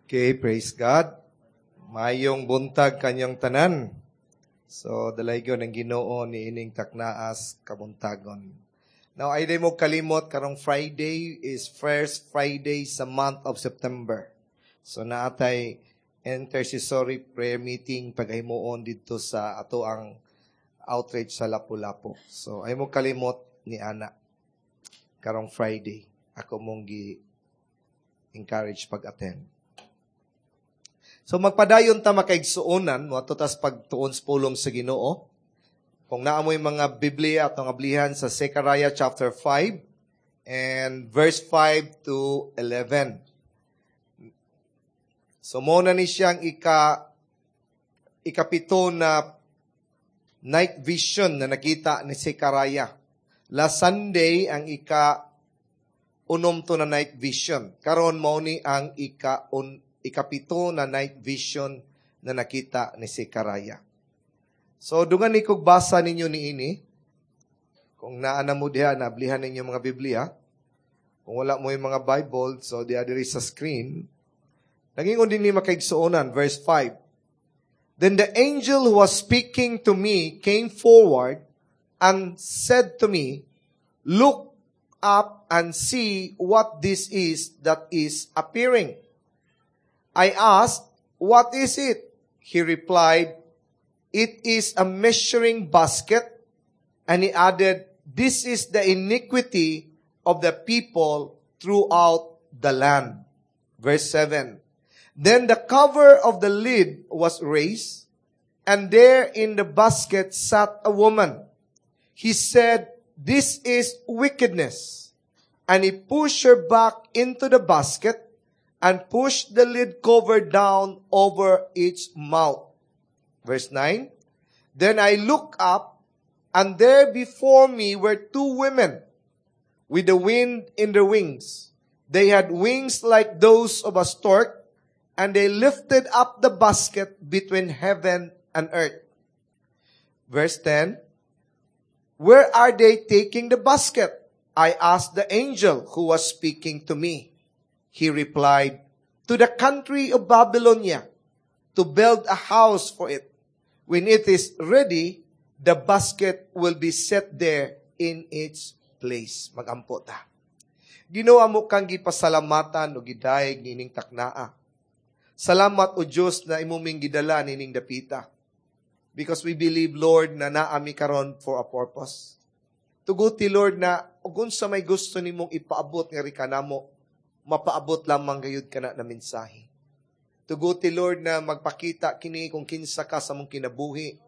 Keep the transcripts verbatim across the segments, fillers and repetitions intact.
Okay, praise God. Maayong buntag kaninyong tanan. So, dalaygon ang Ginoo niining taknaas kabuntagon. Now, ayaw mo kalimot karong Friday is first Friday sa month of September. So, naa tay intercessory prayer meeting paghimuon didto sa atoang outreach sa Lapu-Lapu. So, ayaw mo kalimot ni ana karong Friday. Ako mong gi encourage pag-attend. So magpadayon ta makaigsuonan moadto tas pagtuon sa pulong sa Ginoo. Kung naa moy mga Biblia atong ablihan sa Zechariah chapter five and verse five to eleven. So mao na ni siyang ika ikapito na night vision na nakita ni Zechariah. Last Sunday ang ika unom to na night vision. Karon mao ni ang ika un, ikapito na night vision na nakita ni Zechariah. So, dungan ni kog basa ninyo niini. Kung naa na mo diha, naablihan ninyo mga Biblia. Kung wala mo yung mga Bible, so diha diri sa screen. Nagingon dinhi, makaigsuonan, verse five. "Then the angel who was speaking to me came forward and said to me, 'Look up and see what this is that is appearing.' I asked, 'What is it?' He replied, 'It is a measuring basket.' And he added, 'This is the iniquity of the people throughout the land.' Verse seven. Then the cover of the lid was raised, and there in the basket sat a woman. He said, 'This is wickedness.' And he pushed her back into the basket and pushed the lid cover down over its mouth." Verse nine. "Then I looked up, and there before me were two women with the wind in their wings. They had wings like those of a stork, and they lifted up the basket between heaven and earth." Verse ten. "Where are they taking the basket? I asked the angel who was speaking to me. He replied, 'To the country of Babylonia, to build a house for it. When it is ready, the basket will be set there in its place.'" Magampo ta. Ginoo, amo kang gipasalamatan o gidayeg nining taknaa. Salamat, O Diyos, na imo ming gidala nining dapita. Because we believe, Lord, na naa mi karon for a purpose. Tuguti, Lord, na ug unsa may gusto nimong ipaabot nga kanamo, mapaabot lamang gayud kana na mensahe. Tuguti, Lord, na magpakita kini kung kinsa ka sa among kinabuhi.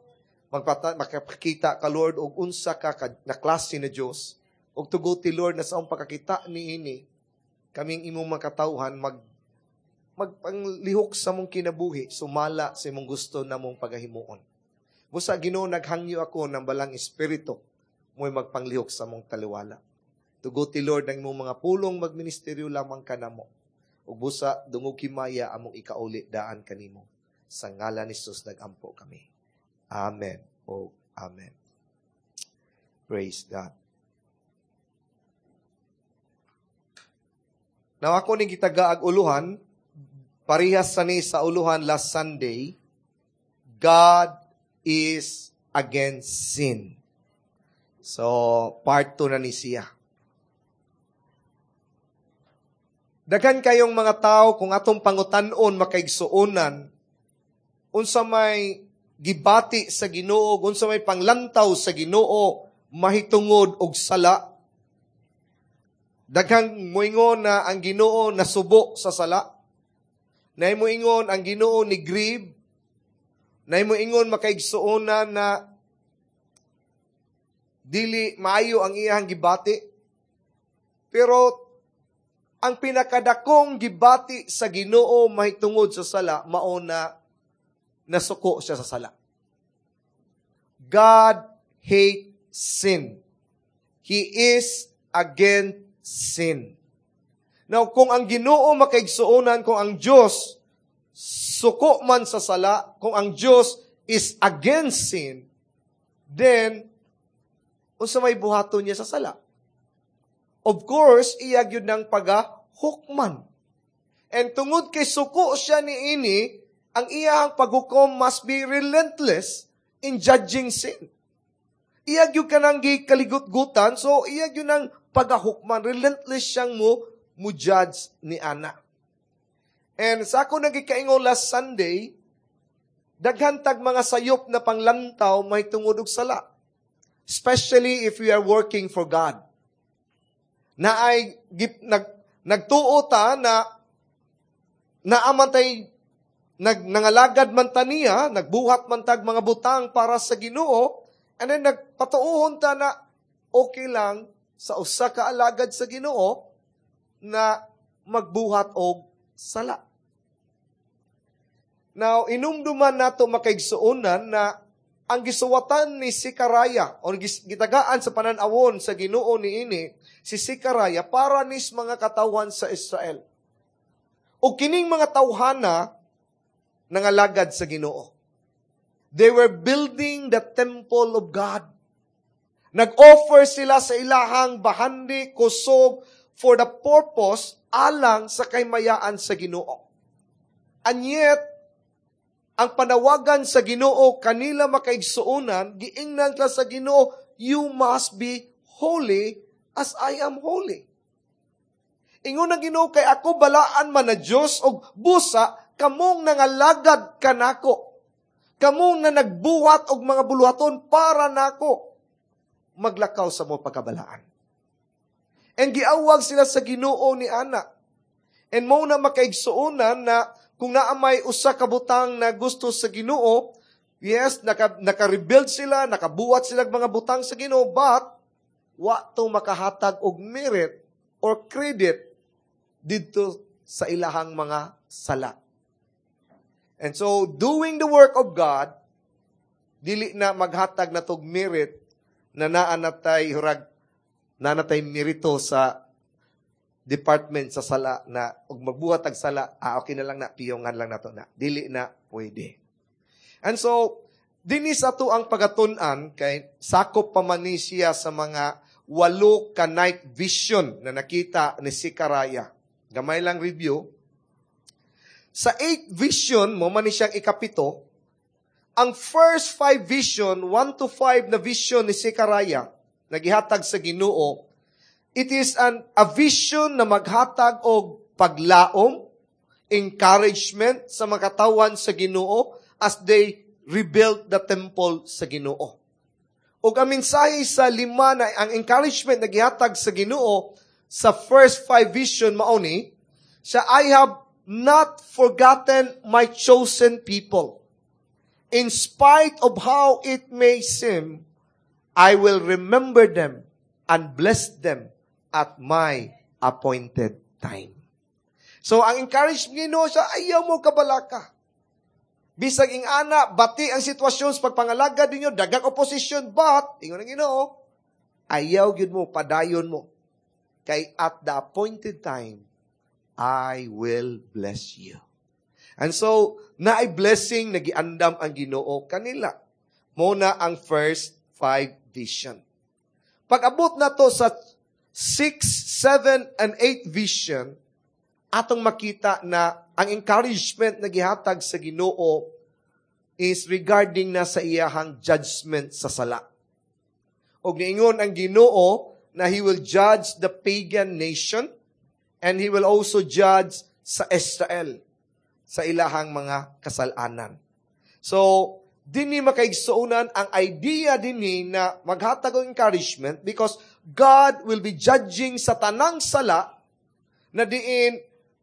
Magpata, makapakita ka, Lord, og unsa ka, ka na klase na Dios. Og tuguti, Lord, na sa among pagkakita niini, kaming imong makatawhan mag magpanglihok sa among kinabuhi, sumala sa imong gusto namong pagahimuon. Busa, Ginoo, naghangyo ako ng Balaang Espiritu mo'y magpanglihok sa among taliwala. Tuguti, Lord, ang imong mga pulong magministeryo lamang kanamo. Ug busa dungog himaya among ikauli daan kanimo. Sa ngalan ni Jesus nagampo kami. Amen. O amen. Praise God. Now ako ning gitagaag uluhan, parehas sa ni sa uluhan last Sunday, God is against sin. So, part two na ni siya. Daghan kayong mga tao kung atong pangutan-on makaigsuonan, unsa may gibati sa Ginoo, unsa may panglantaw sa Ginoo mahitungod og sala. Daghang moingon na ang Ginoo nasubo sa sala. Nay moingon ang Ginoo ni grieve. Nay moingon makaigsuonan na dili maayo ang iyang gibati. Pero ang pinakadakong gibati sa Ginoo mahitungod sa sala, mao na nasuko siya sa sala. God hate sin. He is against sin. Now, kung ang Ginoo makaigsuonan, kung ang Diyos suko man sa sala, kung ang Diyos is against sin, then, unsa may buhaton niya sa sala? Of course, iya gyud ng pagahukman. And tungod kay suko siya ni ini, ang iyang paghukom must be relentless in judging sin. Iya gyud kanang gikaligut-gutan, so iya gyud nang pagahukman, relentless siyang mo mo judge ni ana. And sa ako nagikaingon last Sunday, daghan tag mga sayop na panglantaw may tungod og sala. Especially if we are working for God. Na ay nag, nagtuo ta na naamantay nag nangalagad man ta niya, nagbuhat man tag mga butang para sa Ginoo, and then nagpatuohon ta na okay lang sa usa ka alagad sa Ginoo na magbuhat og sala. Now, inumduman nato makaigsuonan na ang gisuwatan ni Zechariah o gitagaan sa pananawon sa Ginoo niini si Zechariah para nis mga katawhan sa Israel. O kining mga tawhana nangalagad sa Ginoo. They were building the temple of God. Nag-offer sila sa ilahang bahandi, kusog, for the purpose alang sa kaymayaan sa Ginoo. And yet, ang panawagan sa Ginoo kanila makaigsuonan, giingnan ka sa Ginoo, you must be holy as I am holy. Ingon ang Ginoo kay ako balaan man na Dios og busa kamong nangalagad kanako. Kamong na nagbuhat og mga buluhaton para nako maglakaw sa mo pagkabalaan. And giawag sila sa Ginoo ni ana. And mo na makaigsuonan na kung naa may usa ka butang na gusto sa Ginoo, yes, naka, naka-rebuild sila, nakabuhat sila mga butang sa Ginoo, but wa to makahatag og merit or credit didto sa ilahang mga sala. And so, doing the work of God, dili na maghatag na tog merit na naa natay hurag naa natay merito sa department sa sala na og magbuhat og sala, ah, okay na lang na, piyongan lang nato na. Dili na pwede. And so, dinhi sa ato ang pagatun-an kay sakop pa man ni siya sa mga walo ka night vision na nakita ni Zechariah. Gamay lang review. Sa eight vision, mo man ni siyang ikapito, ang first five vision, one to five na vision ni Zechariah, na gihatag sa Ginoo, it is an a vision na maghatag og paglaom, encouragement sa mga katawan sa Ginoo as they rebuild the temple sa Ginoo. Ug ang mensahe sa lima na ang encouragement na gihatag sa Ginoo sa first five vision mao ni, siya I have not forgotten my chosen people. In spite of how it may seem, I will remember them and bless them at my appointed time. So, ang encouragement Ginoo siya, ayaw mo kabalaka. Bisag ing ana, bati ang sitwasyon sa pagpangalagad ninyo, daghang opposition, but, ingon ang Ginoo, ayaw gyud mo, padayon mo. Kay at the appointed time, I will bless you. And so, naay blessing na giandam ang Ginoo kanila. Mo na ang first five vision. Pag-abot na to sa six, seven, and eight vision, atong makita na ang encouragement na gihatag sa Ginoo is regarding na sa iyahang judgment sa sala. Og niingon ang Ginoo na He will judge the pagan nation and He will also judge sa Israel sa ilahang mga kasalanan. So, dinhi makaigsuonan ang idea dinhi na maghatag og encouragement because God will be judging sa tanang sala na diin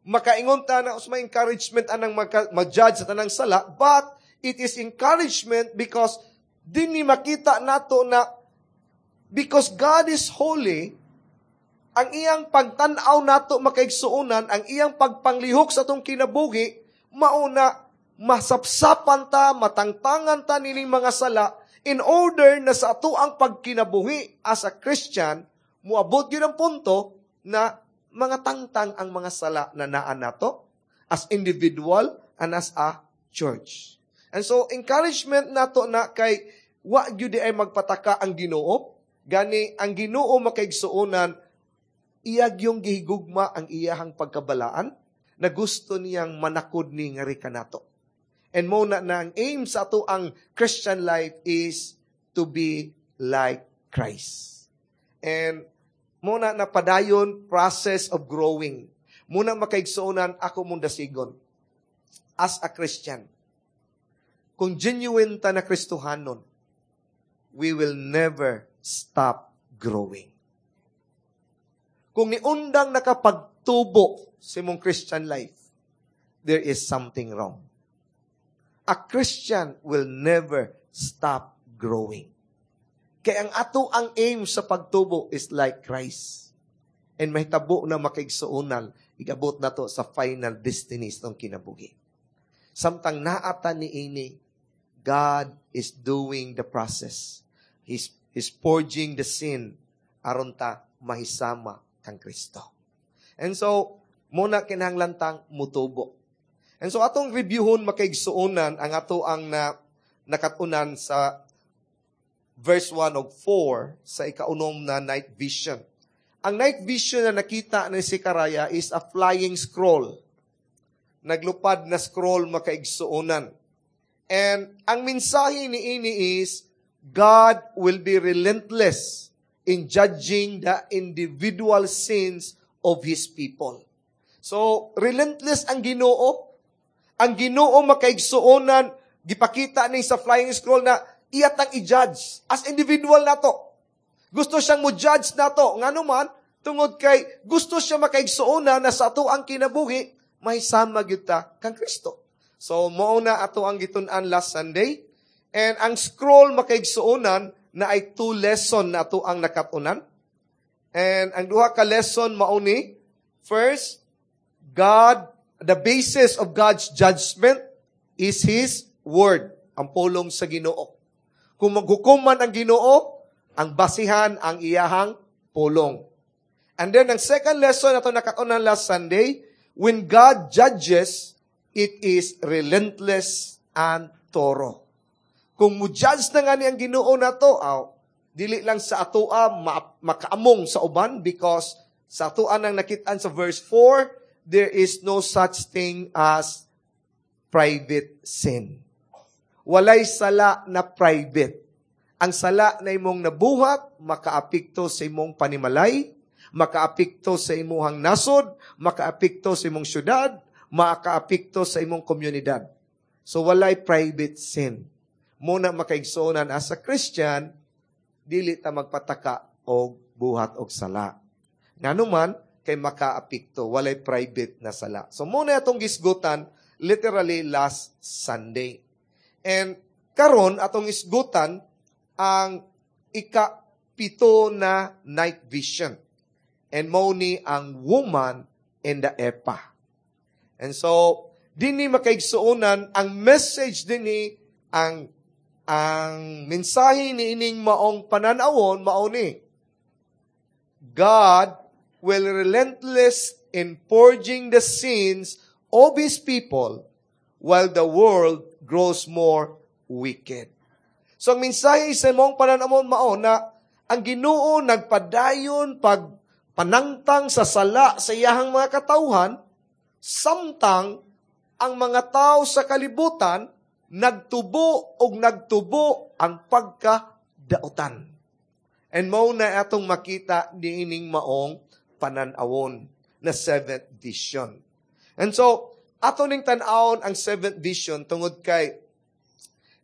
makaingon ta na may encouragement anang mag-judge sa tanang sala, but it is encouragement because dinhi makita nato na because God is holy, ang iyang pagtan-aw nato makaigsuonan, ang iyang pagpanglihok sa atong kinabuhi, mauna masapsapan ta, matangtangan ta nining mga sala in order na sa ato ang pagkinabuhi as a Christian, muabot yun ang punto na mga tangtang ang mga sala na naa nato as individual and as a church. And so, encouragement nato na kay wa gyud ay magpataka ang Ginoo, gani ang Ginoo makaigsuonan iyag yung gihigugma ang iyahang pagkabalaan. na gusto niyang manakod ni nga kanato. And mao na na ang aim sa ato ang Christian life is to be like Christ. And mao na na padayon process of growing. Mao na, makaigsuonan, ako mong dasigon as a Christian, kung genuine ta na Kristohanon, we will never stop growing. Kung niundang nakapagtubo sa imong Christian life, there is something wrong. A Christian will never stop growing. Kaya ang ato ang aim sa pagtubo is like Christ. And mahitabo na, makaigsuonan, igabot na to sa final destiny ng kinabuhi. Samtang naa ta ni ini, God is doing the process. He's, he's purging the sin aron ta mahisama kang Kristo. And so, mao na kinahanglan tang mutubo. And so atong reviewhon, makaigsuonan, ang ato ang na nakatunan sa verse one of four sa ikaunom na night vision. Ang night vision na nakita ni Zechariah is a flying scroll. Naglupad na scroll, makaigsuonan. And ang mensahe ni ini is God will be relentless in judging the individual sins of His people. So, relentless ang Ginoo. Ang Ginoo, makaigsuonan, gipakita ni sa flying scroll na iyatang i-judge as individual nato. Gusto siyang mo judge nato. Ngano man, tungod kay gusto siya, makaigsuonan, na sa ato ang kinabuhi, may sama gyud ta kang Kristo. So, mao na ato ang gitun-an last Sunday. And ang scroll, makaigsuonan, na ay two lesson na ato ang nakatunan. And ang duha ka lesson mao ni, first, God, the basis of God's judgment is His Word, ang pulong sa Ginoo. Kung maghukom man ang Ginoo, ang basihan ang iyahang pulong. And then, ang second lesson ato nakatunan last Sunday, when God judges, it is relentless and thorough. Kung mo-judge na nga ni ang Ginoo nato, aw, dili lang sa atoa, ma- makaamong sa uban, because sa atoa nang nakitaan sa verse four, there is no such thing as private sin. Walay sala na private. Ang sala na imong nabuhat, makaapekto sa imong panimalay, makaapekto sa imuhang nasod, makaapekto sa imong syudad, makaapekto sa imong komunidad. So walay private sin. Mao na, makaigsuonan, as a Christian, dili ta magpataka og buhat og sala. Ngano man, kay makaapekto, walay private na sala. So mao na atong gisgutan literally last Sunday. And karon atong isgutan ang ika-pito na night vision. And mao ni ang woman in the ephah. And so, dinhi, makaigsuonan, ang message dinhi, ang ang mensahe ni ining maong pananawon mao ni God will relentless in purging the sins of His people while the world grows more wicked. So ang mensahe sa maong pananawon mao na ang Ginoo nagpadayon pag panangtang sa sala sa iyahang mga katawhan samtang ang mga tao sa kalibutan nagtubo og nagtubo ang pagkadautan. And mao na atong makita niining maong pananawon na seventh vision. And so, ato ning tan-awon ang seventh vision tungod kay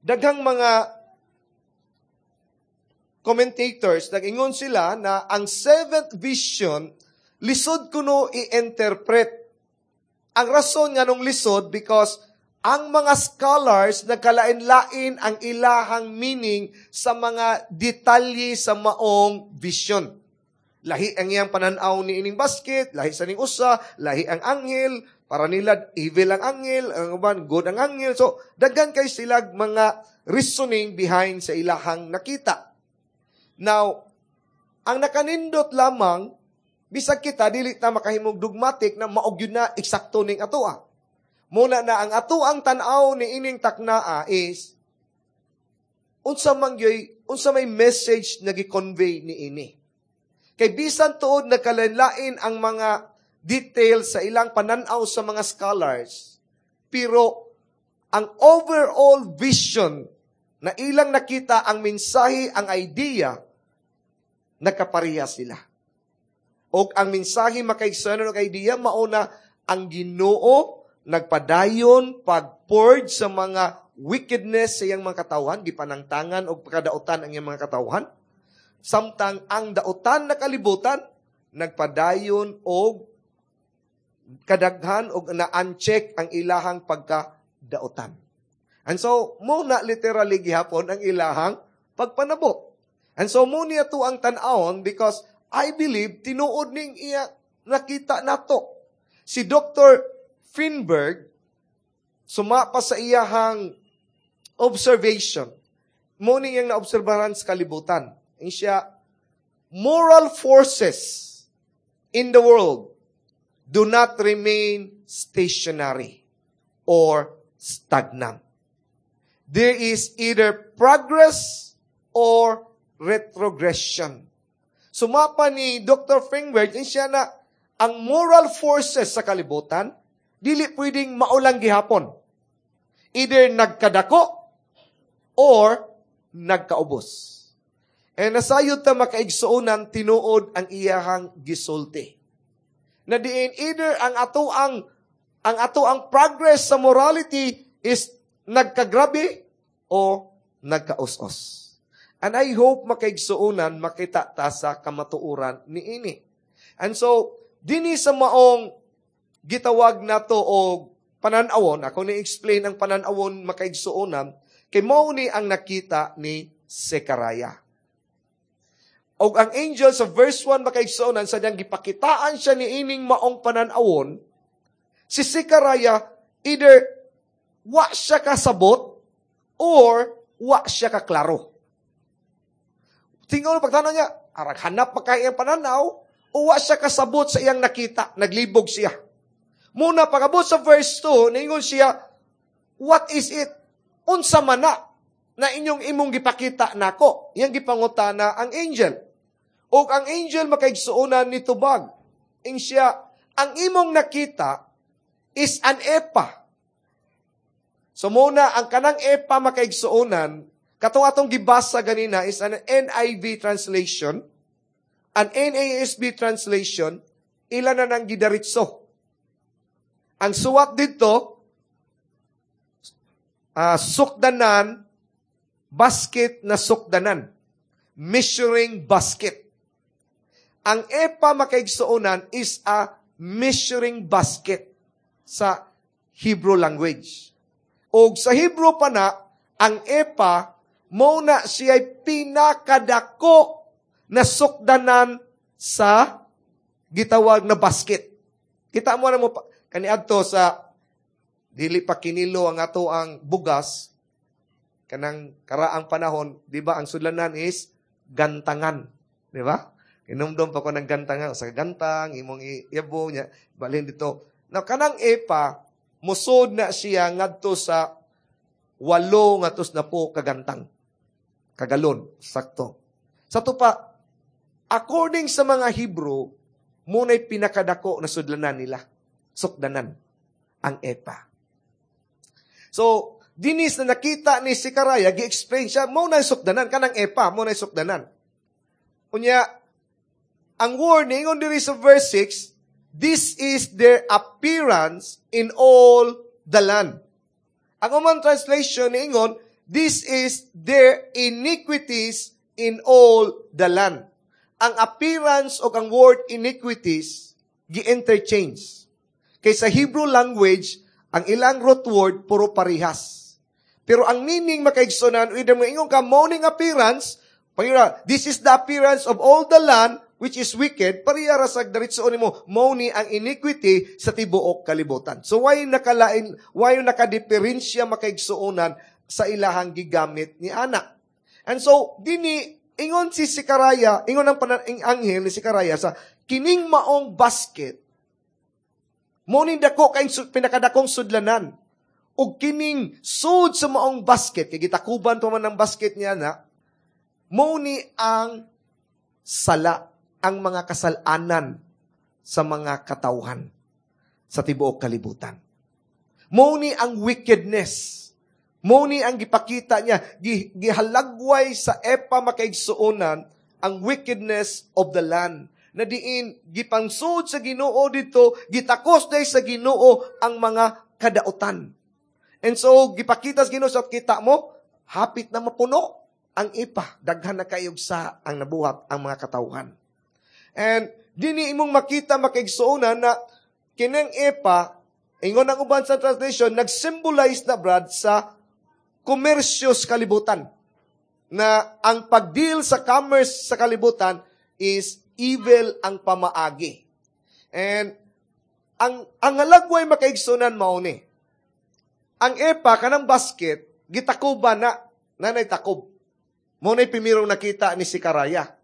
daghang mga commentators nag-ingon sila na ang seventh vision lisod kuno i-interpret. Ang rason nga nung lisod, because ang mga scholars nagkalain-lain ang ilahang meaning sa mga detalye sa maong vision. Lahi ang iyang pananaw ni ining basket, lahi sa ning usa, lahi ang anghel, para nila evil ang anghel, ang uban good ang anghel. So daghan kay sila mga reasoning behind sa ilahang nakita. Now, ang nakanindot lamang, bisag kita dili ta makahimog dogmatic na mao gyud na eksakto ning atoa. Mao na na ang ato ang tan-aw ni ining taknaa is unsa man gyoy, unsa may message na gi-convey ni ini. Kay bisan tuod nagkalain-lain ang mga detail sa ilang pananaw sa mga scholars. Pero ang overall vision na ilang nakita ang mensahe, ang idea, nagkapareha sila. O ang mensahe makaigsuonan og idea, mauna ang Ginoo nagpadayon pag-purge sa mga wickedness sa iyang mga katawhan, gipanangtangan og pagkadautan ang iyang mga katawhan. Samtang ang dautan na kalibutan, nagpadayon og kadaghan og na-uncheck ang ilahang pagkadautan. And so, mao na literally gihapon ang ilahang pagpanabot. And so, mao niya to ang tan-awon because I believe tinuod ning iya nakita nato. Si Doctor Finberg, suma pa sa iyahang observation, mao ni iyang naobserbahan sa kalibutan. Ang siya, "Moral forces in the world do not remain stationary or stagnant. There is either progress or retrogression." Sumapa ni Doctor Finberg, siya na ang moral forces sa kalibutan, dili pwedeng maulang gihapon. Either nagkadako or nagkaubos. E nasayod ta, makaigsuonan, tinuod ang iyahang gisulti. Na diin either ang ato ang ang ato ang progress sa morality is nagkagrabe o nagkaus-os. And I hope, makaigsuonan, makita ta sa kamatuoran niini. And so, dinhi sa maong gitawag nato og pananawon, ako ni explain ang pananawon, makaigsuonan, kay mao ni ang nakita ni Zechariah. Og ang angel sa verse one, makaigsuonan, sa diyang gipakitaan siya ni ining maong pananawon, si Zechariah either wa siya kasabot or wa siya kaklaro. Tingnan pagtanaw niya, arag hanap pa kay iyang pananaw, o wa siya kasabot sa iyang nakita, naglibog siya. Muna pagabot sa verse two, ningon siya, "What is it? Unsa man na na inyong imong gipakita nako?" Iyang gipangutana ang angel. O ang angel, makaigsuonan, nitubag. Ing siya, ang imong nakita is an ephah. So muna, ang kanang ephah, makaigsuonan, katong atong gibasa ganina is an N I V translation, an N A S B translation, ila na nang gidaritso. Ang suwat dito, uh, sukdanan, basket na sukdanan. Measuring basket. Ang ephah, makaigsuonan, is a measuring basket sa Hebrew language. O sa Hebrew pa na, ang ephah, mao na siya'y pinakadako na sukdanan sa gitawag na basket. Kita mo na mo, kaniadto sa dili pa kinilo ang ato ang bugas, kanang karaang panahon, di ba ang sudlanan is gantangan. Di ba? Inumdum pa ko ng gantangan. Sa gantang, imong iyabo niya, balhin dito. Now, kanang ephah, musod na siya ngadto sa walo nga na po kagantang. Kagalon, sakto. Sa to pa, according sa mga Hebrew, muna'y pinakadako na sudlanan nila. Sukdanan. Ang ephah. So, dinis na nakita ni Zechariah, gi-explain siya, mao na sukdanan, kanang ephah, mao na sukdanan. Unya, ang warning on diri sa verse six, "This is their appearance in all the land." Ang uman translation niingon, "This is their iniquities in all the land." Ang appearance o ang word iniquities, gi-interchange. Kay sa Hebrew language, ang ilang root word, puro parihas. Pero ang meaning, makaigsuonan, either mo ingon ka, mao ning appearance, pangira, "This is the appearance of all the land which is wicked," pareha ra sa diretso nimo, mao ni ang iniquity sa tibuok kalibutan. So why nakalain, why nakadiferensya, makaigsuonan, sa ilahang gigamit ni ana? And so, dini, ingon si Zechariah, ingon ang panan, ang anghel ni Zechariah sa kining maong basket, mao ni dako kay pinakadakong sudlanan. Ug kining sud sa maong basket, kay gitakuban pa man ang basket niya na, mao ni ang sala, ang mga kasalanan sa mga katawhan sa tibuok kalibutan. Mao ni ang wickedness. Mao ni ang gipakita niya, gihalagway sa epa, makaigsuonan, ang wickedness of the land. Na diin gipangsud sa Ginoo dito, gitakos day sa Ginoo ang mga kadautan. And so gipakita sa Ginoo sa kita mo, hapit na mapuno ang epa, daghan na kayog sa ang nabuhat ang mga katawhan. And dinhi imong makita, makaigsuonan, na kining epa, ingon ang uban sa translation, nag-symbolize na, Brad, sa komersyo sa kalibutan. Na ang pag-deal sa commerce sa kalibutan is evil ang pamaagi. And ang ang halagway, makaigsunan, mao ni. Ang epa, kanang basket, gitakuban na, nanay takob. Mao na'y primerong nakita ni Zekaraya.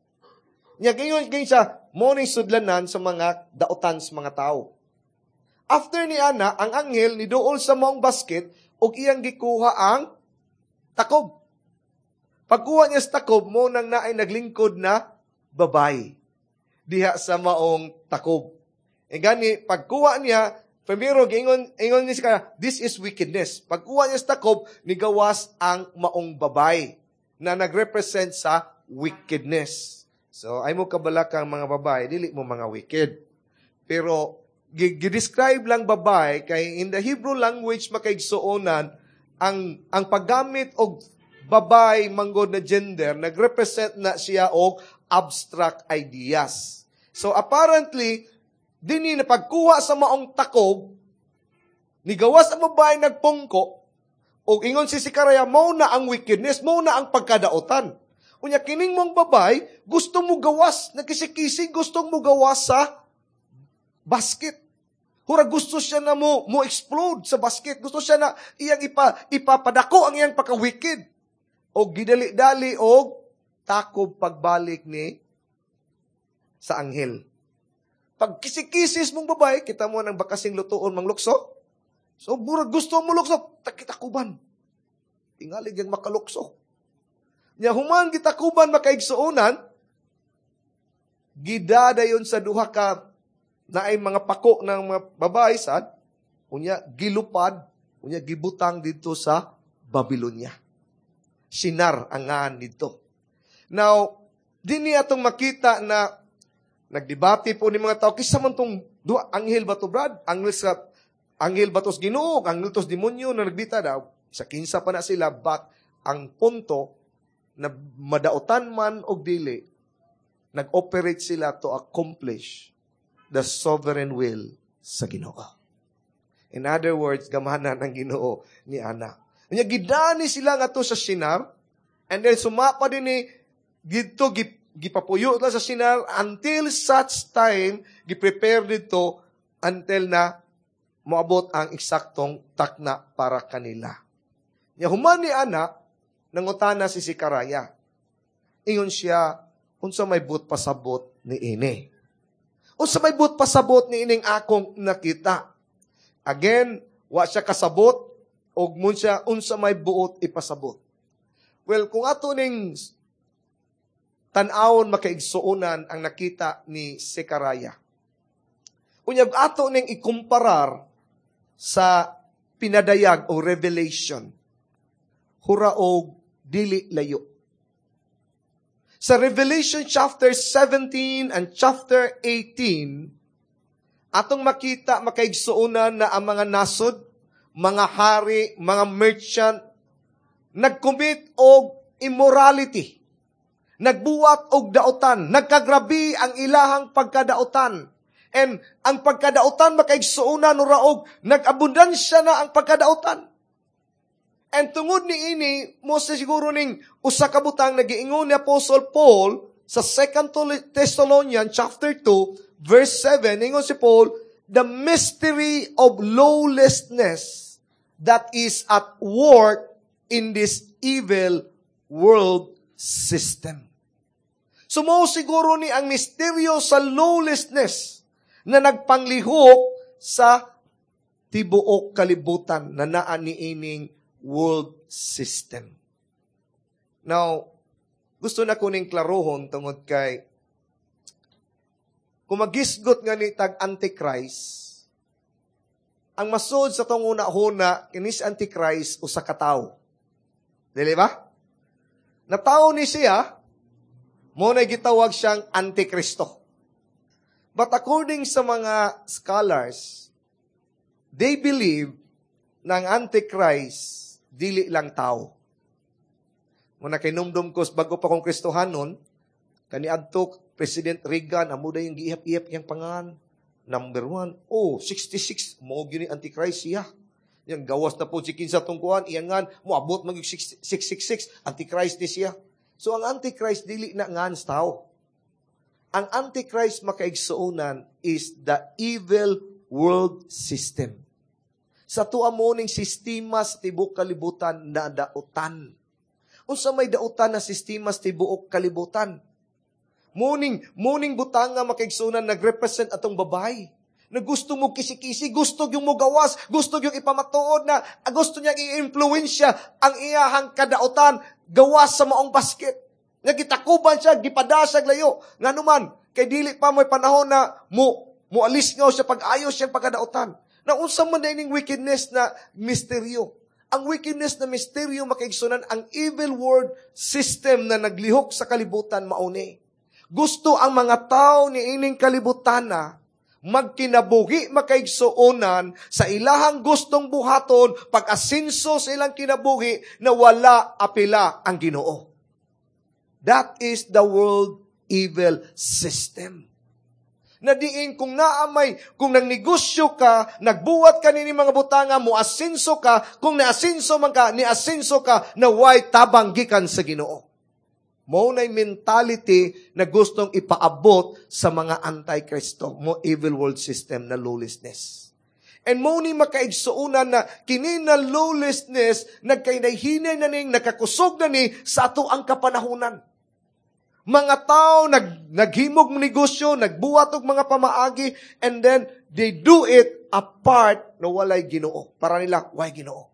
Nya gayon gayon siya, mao na'y sudlanan sa mga dautan sa mga tao. After ni ana, ang anghel ni duol sa maong basket ug iyang gikuha ang takob. Pagkuha niya sa takob, mao nang naay naglingkod na babay diha sa maong takob. E gani, pagkuha niya, primero, giingon, ingon niya siya, "This is wickedness." Pagkuha niya sa takob, nigawas ang maong babay na nagrepresent sa wickedness. So, ay mo kabalaka ang mga babae, dili mo mga wicked. Pero, gi-describe lang babae, kay in the Hebrew language, makaigsuonan, ang, ang paggamit og babae manggod na gender, nagrepresent na siya og abstract ideas. So apparently, dinhi na pagkuha sa maong takob, nigawas ang babae nagpungko, og ingon si Zekaraya, mao na ang wickedness, mao na ang pagkadautan. Unya kining mong babae, gusto mo gawas, nagkisikisig, gusto mo gawas sa basket. Hura gusto siya na mo, mo explode sa basket. Gusto siya na iyang ipa, ipapadako ang iyang pagka-wicked. O gidali-dali og takob pagbalik ni sa anghel. Pag kisikisis mong babae, kita mo ng bakasing lutuon mang lukso. So, murag gusto mo lukso, takitakuban. Tingali yang makalukso. Nya human gitakuban, makaigsuonan, gidada yon sa duha ka na ay mga pako ng mga babae sad, unya gilupad, unya gibutang dito sa Babylonia. Sinar ang ngaan dito. Now, dinhi atong makita na nagdebate po ni mga tao, kisa man tong duha, anghel ba to, Brad? Anghel sa anghel ba to sa Ginoo, anghel to sa demonyo na nagbita daw. Sa kinsa pa na sila, but ang punto na madautan man og dili, nag-operate sila to accomplish the sovereign will sa Ginoo. In other words, gamhanan ang Ginoo ni ana. Unya gidani sila ngadto sa Sinar, and then sumapa din ni didto gipapuyo na sa Sinar until such time gi-prepare dito until na moabot ang eksaktong takna para kanila. Nya human ni ana, nangutana si Zekaraya. Ingon siya, "Unsa may buot pasabot ni ini? Unsa may buot pasabot ni ining akong nakita?" Again, wa siya kasabot og mun siya unsa may buot ipasabot. Well, kung ato ning tan-awon, makaigsuonan, ang nakita ni Zekaraya. Unyag ato ning ikumparar sa pinadayag o Revelation, huraog dili layo. Sa Revelation chapter seventeen and chapter eighteen, atong makita, makaigsuonan, na ang mga nasod, mga hari, mga merchant, nag-commit og immorality. Nagbuhat og dautan, nagkagrabi ang ilahang pagkadautan. And ang pagkadautan, makaigsuonan, raog, nag-abundansya na ang pagkadautan. And tungod ni ini, mo sa siguro ning usa ka butang nagiingon ni Apostle Paul sa Second Thessalonians chapter two verse seven, ingon si Paul, "The mystery of lawlessness that is at work in this evil world system." So mo siguro ni ang misteryo sa lawlessness na nagpanglihok sa tibuok kalibutan na naa ni ining world system. Now, gusto na ko ning klarohon tungod kay Kung magisgot nga ni tag Antichrist, ang masud sa tong una-huna, kini si Antichrist usa ka tawo. Dili ba? Natawo ni siya, mo na gitawag siyang Antikristo. But according sa mga scholars, they believe na ang Antichrist dili lang tao. Muna kay numdum ko bago pa kong Kristohanon, kaniadto President Reagan, amo yung giihap-ihap niyang pangan. Number one, oh, sixty-six, mo gyud ni Antichrist siya. Yang gawas na po si kinsa tungkuan, iyangan, moabot mag six six six, Antichrist ni siya. So ang Antichrist dili na ngan tao. Ang Antichrist, makaigsuonan, is the evil world system. Sa tuwa mo ning sistema sa tibuok kalibutan na dautan. Unsa may dautan na sistema sa tibuok kalibutan? Muning, muning butang nga, makaigsuonan, nagrepresent atong babae na gusto mo kisi-kisi, gusto yung mo gawas, gusto yung ipamatuod na, ah, gusto niya i-influensya ang iyahang kadautan, gawas sa maong basket. Nga gitakuban siya, gipada siya layo. Nga numan, kay dili pa mo'y panahon na mo, mo alis nga siya pag-ayos siyang pagkadautan. Na unsa man ning wickedness na misteryo? Ang wickedness na misteryo, makaigsunan, ang evil world system na naglihok sa kalibutan mauni. Gusto ang mga tao ni ining kalibutan na magkinabuhi, makaigsuonan, sa ilahang gustong buhaton, pag-asinso sa ilang kinabuhi na wala apila ang Ginoo. That is the world evil system. Na diin kung naamay, kung nagnegosyo ka, nagbuhat ka nini mga butanga, mo asinso ka, kung niasinso man ka, niasinso ka, na way tabang gikan sa Ginoo. Mo na'y mentality na gustong ipaabot sa mga anti-Kristo, mo evil world system na lawlessness. And mo ni, makaigsuonan, na kini na lawlessness, nagkahinay na ning, nakakusog na ni sa ato ang kapanahunan. Mga tao nag naghimog negosyo, nagbuhat og mga pamaagi, and then they do it apart na walay Ginoo. Para nila, way Ginoo.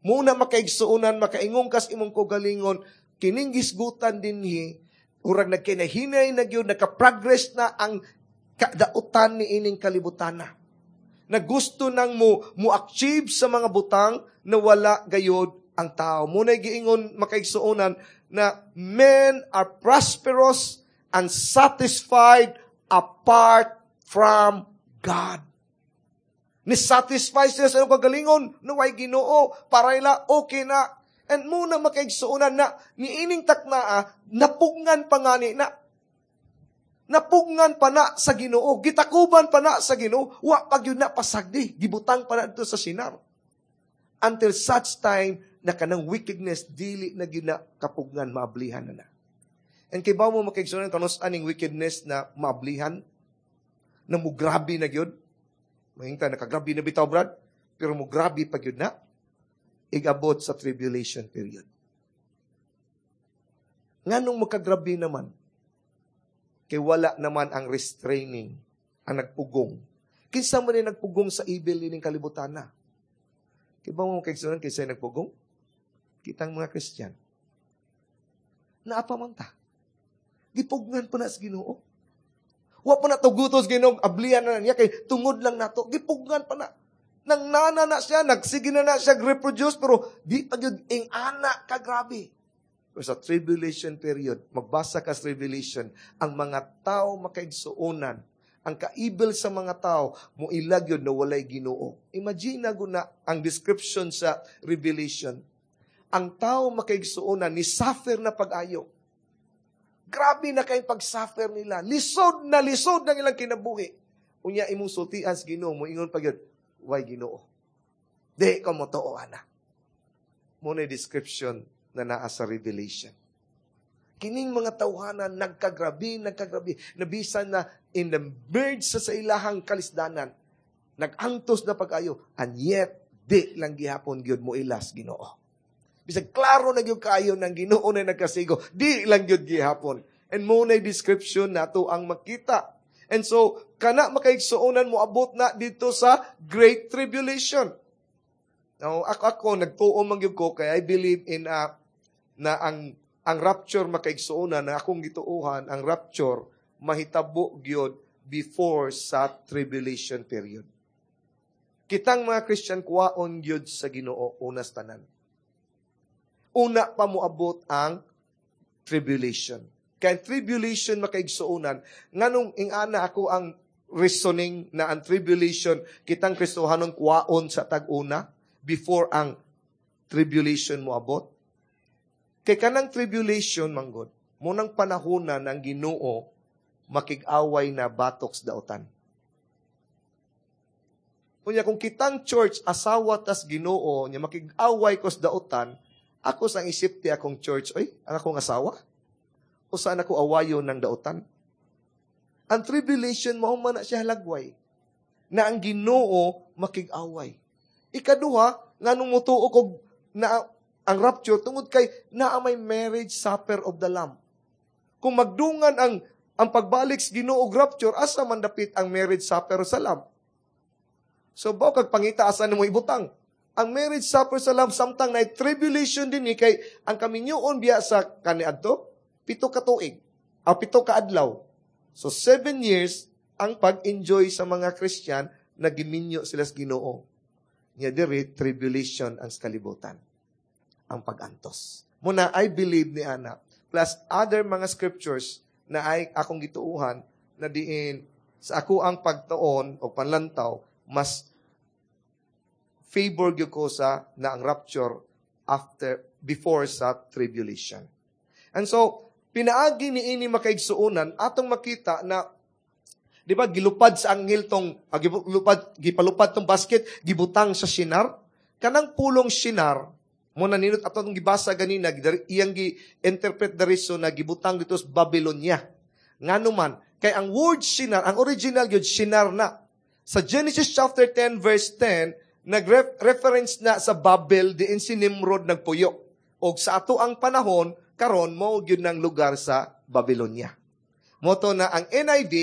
Muna, makaigsuonan, makaingong kas imong kaugalingon, kining gisgutan dinhi, urag nagkinahinay na gyud, naka-progress na ang kadautan ni ining kalibutan na. Na gusto nang mo mo achieve sa mga butang na wala gayod ang tao. Muna giingon, makaigsuonan, na men are prosperous and satisfied apart from God. Ni satisfy sila sa iyong kagalingon, na way Ginoo, para ila okay na. And muna, makaigsuonan, na niining taknaa, napugngan pa nga ni na napugngan pa na sa Ginoo, gitakuban pa na sa Ginoo, wa pa gyud na pasagdi, gibutang pa na dito sa Sinar. Until such time na kanang wickedness dili na gyud na kapugnan, maablihan na na. And kay mo, makaigsuonan, kanus aning wickedness na maablihan, na mugrabe na gyud. Mahingta, nakagrabe na bitaw, Brad, pero mugrabe pa gyud na, igabot sa tribulation period. Nganong makagrabe naman? Kay wala naman ang restraining, ang nagpugong. Kinsa man ni nagpugong sa evil ining kalibutan na? Kay ba mo kay kinsa nagpugong? Kitang mga Christian. Naa pa man ta. Gipugnan pa na sa Ginoo. Wa pa na tugutos Ginoo, ablihan na niya kay tungod lang nato. Gipugnan pa na. Nang nana na siya, nagsige na na siya reproduce, pero di pa gyud ing ana ka grabe. Pero sa tribulation period, magbasa ka sa Revelation, ang mga tao, makaigsuonan, ang kaibel sa mga tao, mo ilagyon na walay Ginoo. Imagine na na ang description sa Revelation. Ang tao, makaigsuonan, ni suffer na pag-ayo. Grabe na kay pag-suffer nila. Lisod na lisod ng ilang kinabuhi. Unya imong sultian sa Ginoo, mo ingon pa gyud, "Way Ginoo. Di ka mo tuo ana." Mo na description na naa sa Revelation. Kining mga tawhana nagkagrabi, nagkagrabi, nabisan na in the merge sa sa ilahang kalisdanan, nag-antos na pag-ayo, and yet, di lang gihapon gyud mo ilas Ginoo. Bisag klaro na gyud kaayo ng Ginoo na nagkasigo, di lang gyud gihapon. And mo na description nato ang makita. And so, kana, makaigsuonan, mo abot na dito sa Great Tribulation. Now, ako, ako nagtuo man gyud ko kay I believe in uh, na ang ang rapture, makaigsuonan, na akong gituohan ang rapture mahitabo gyud. before sa tribulation period. Kitang mga Christian kuwaon gyud sa Ginoo unas tanan. Una pa moabot ang tribulation. Kay ang tribulation makaigsuonan, nganong ingana ako ang reasoning na ang tribulation kitang Kristohanon kuwaon sa tag-una before ang tribulation moabot. Kay kanang tribulation manggod, munang panahona ng Ginoo makig-away na batok sa daotan. Unya kung kitang church asawa tas Ginoo nya makig-away ko sa daotan, ako sang isip ti akong church, oy, ang akong asawa? O saan ako awayon ng daotan? Ang tribulation mao man na siya halagway. Na ang Ginoo makig-away. Ikaduha, nganong mutuo kog na ang rapture tungod kay naa may marriage supper of the Lamb. Kung magdungan ang ang pagbalik sa Ginoo og rapture, asa man dapit ang marriage supper sa Lamb? So, baw kag pangita asa nimo ibutang. Ang marriage supper sa Lamb samtang na tribulation din ni kay ang kaminyoon biya sa kaniadto pito ka tuig, o pito ka adlaw. So seven years ang pag-enjoy sa mga Christian na giminyo sila sa Ginoo. Nya diri tribulation ang sa kalibutan. Ang pag-antos. Muna I believe ni ana plus other mga scriptures na ay akong gituuhan na diin sa ako ang pagtuon o panlantaw mas favor gyud ko sa na ang rapture after before sa tribulation. And so pinaagi ni ini makaigsuonan atong makita na di ba gilupad sa anghel tong ah, gilupad gipalupad tong basket gibutang sa Shinar kanang pulong Shinar mo na ninot atong gibasa ganina iyang gi-interpret diri so na gibutang dito sa Babylonia ngano man kay ang word Shinar ang original gyud Shinar na sa Genesis chapter ten verse ten nagre-reference na sa Babel diin si Nimrod nagpuyo og sa ato ang panahon karon mao gyud nang lugar sa Babylonia. Moto na ang N I V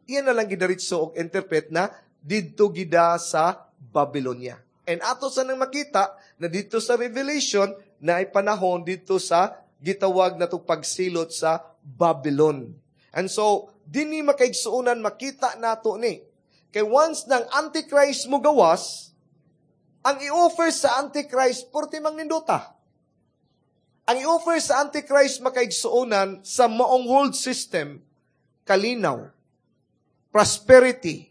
iyan na lang gidiretso og interpret na didto gida sa Babylonia. And ato sa nang makita na dito sa Revelation na ay panahon dito sa gitawag na tong pagsilot sa Babylon. And so dinhi makaigsuonan makita nato ni kay once nang Antichrist mo gawas, ang i-offer sa Antichrist porti mang nindota. Ang i-offer sa Antichrist makaigsuonan sa maong world system, kalinaw, prosperity,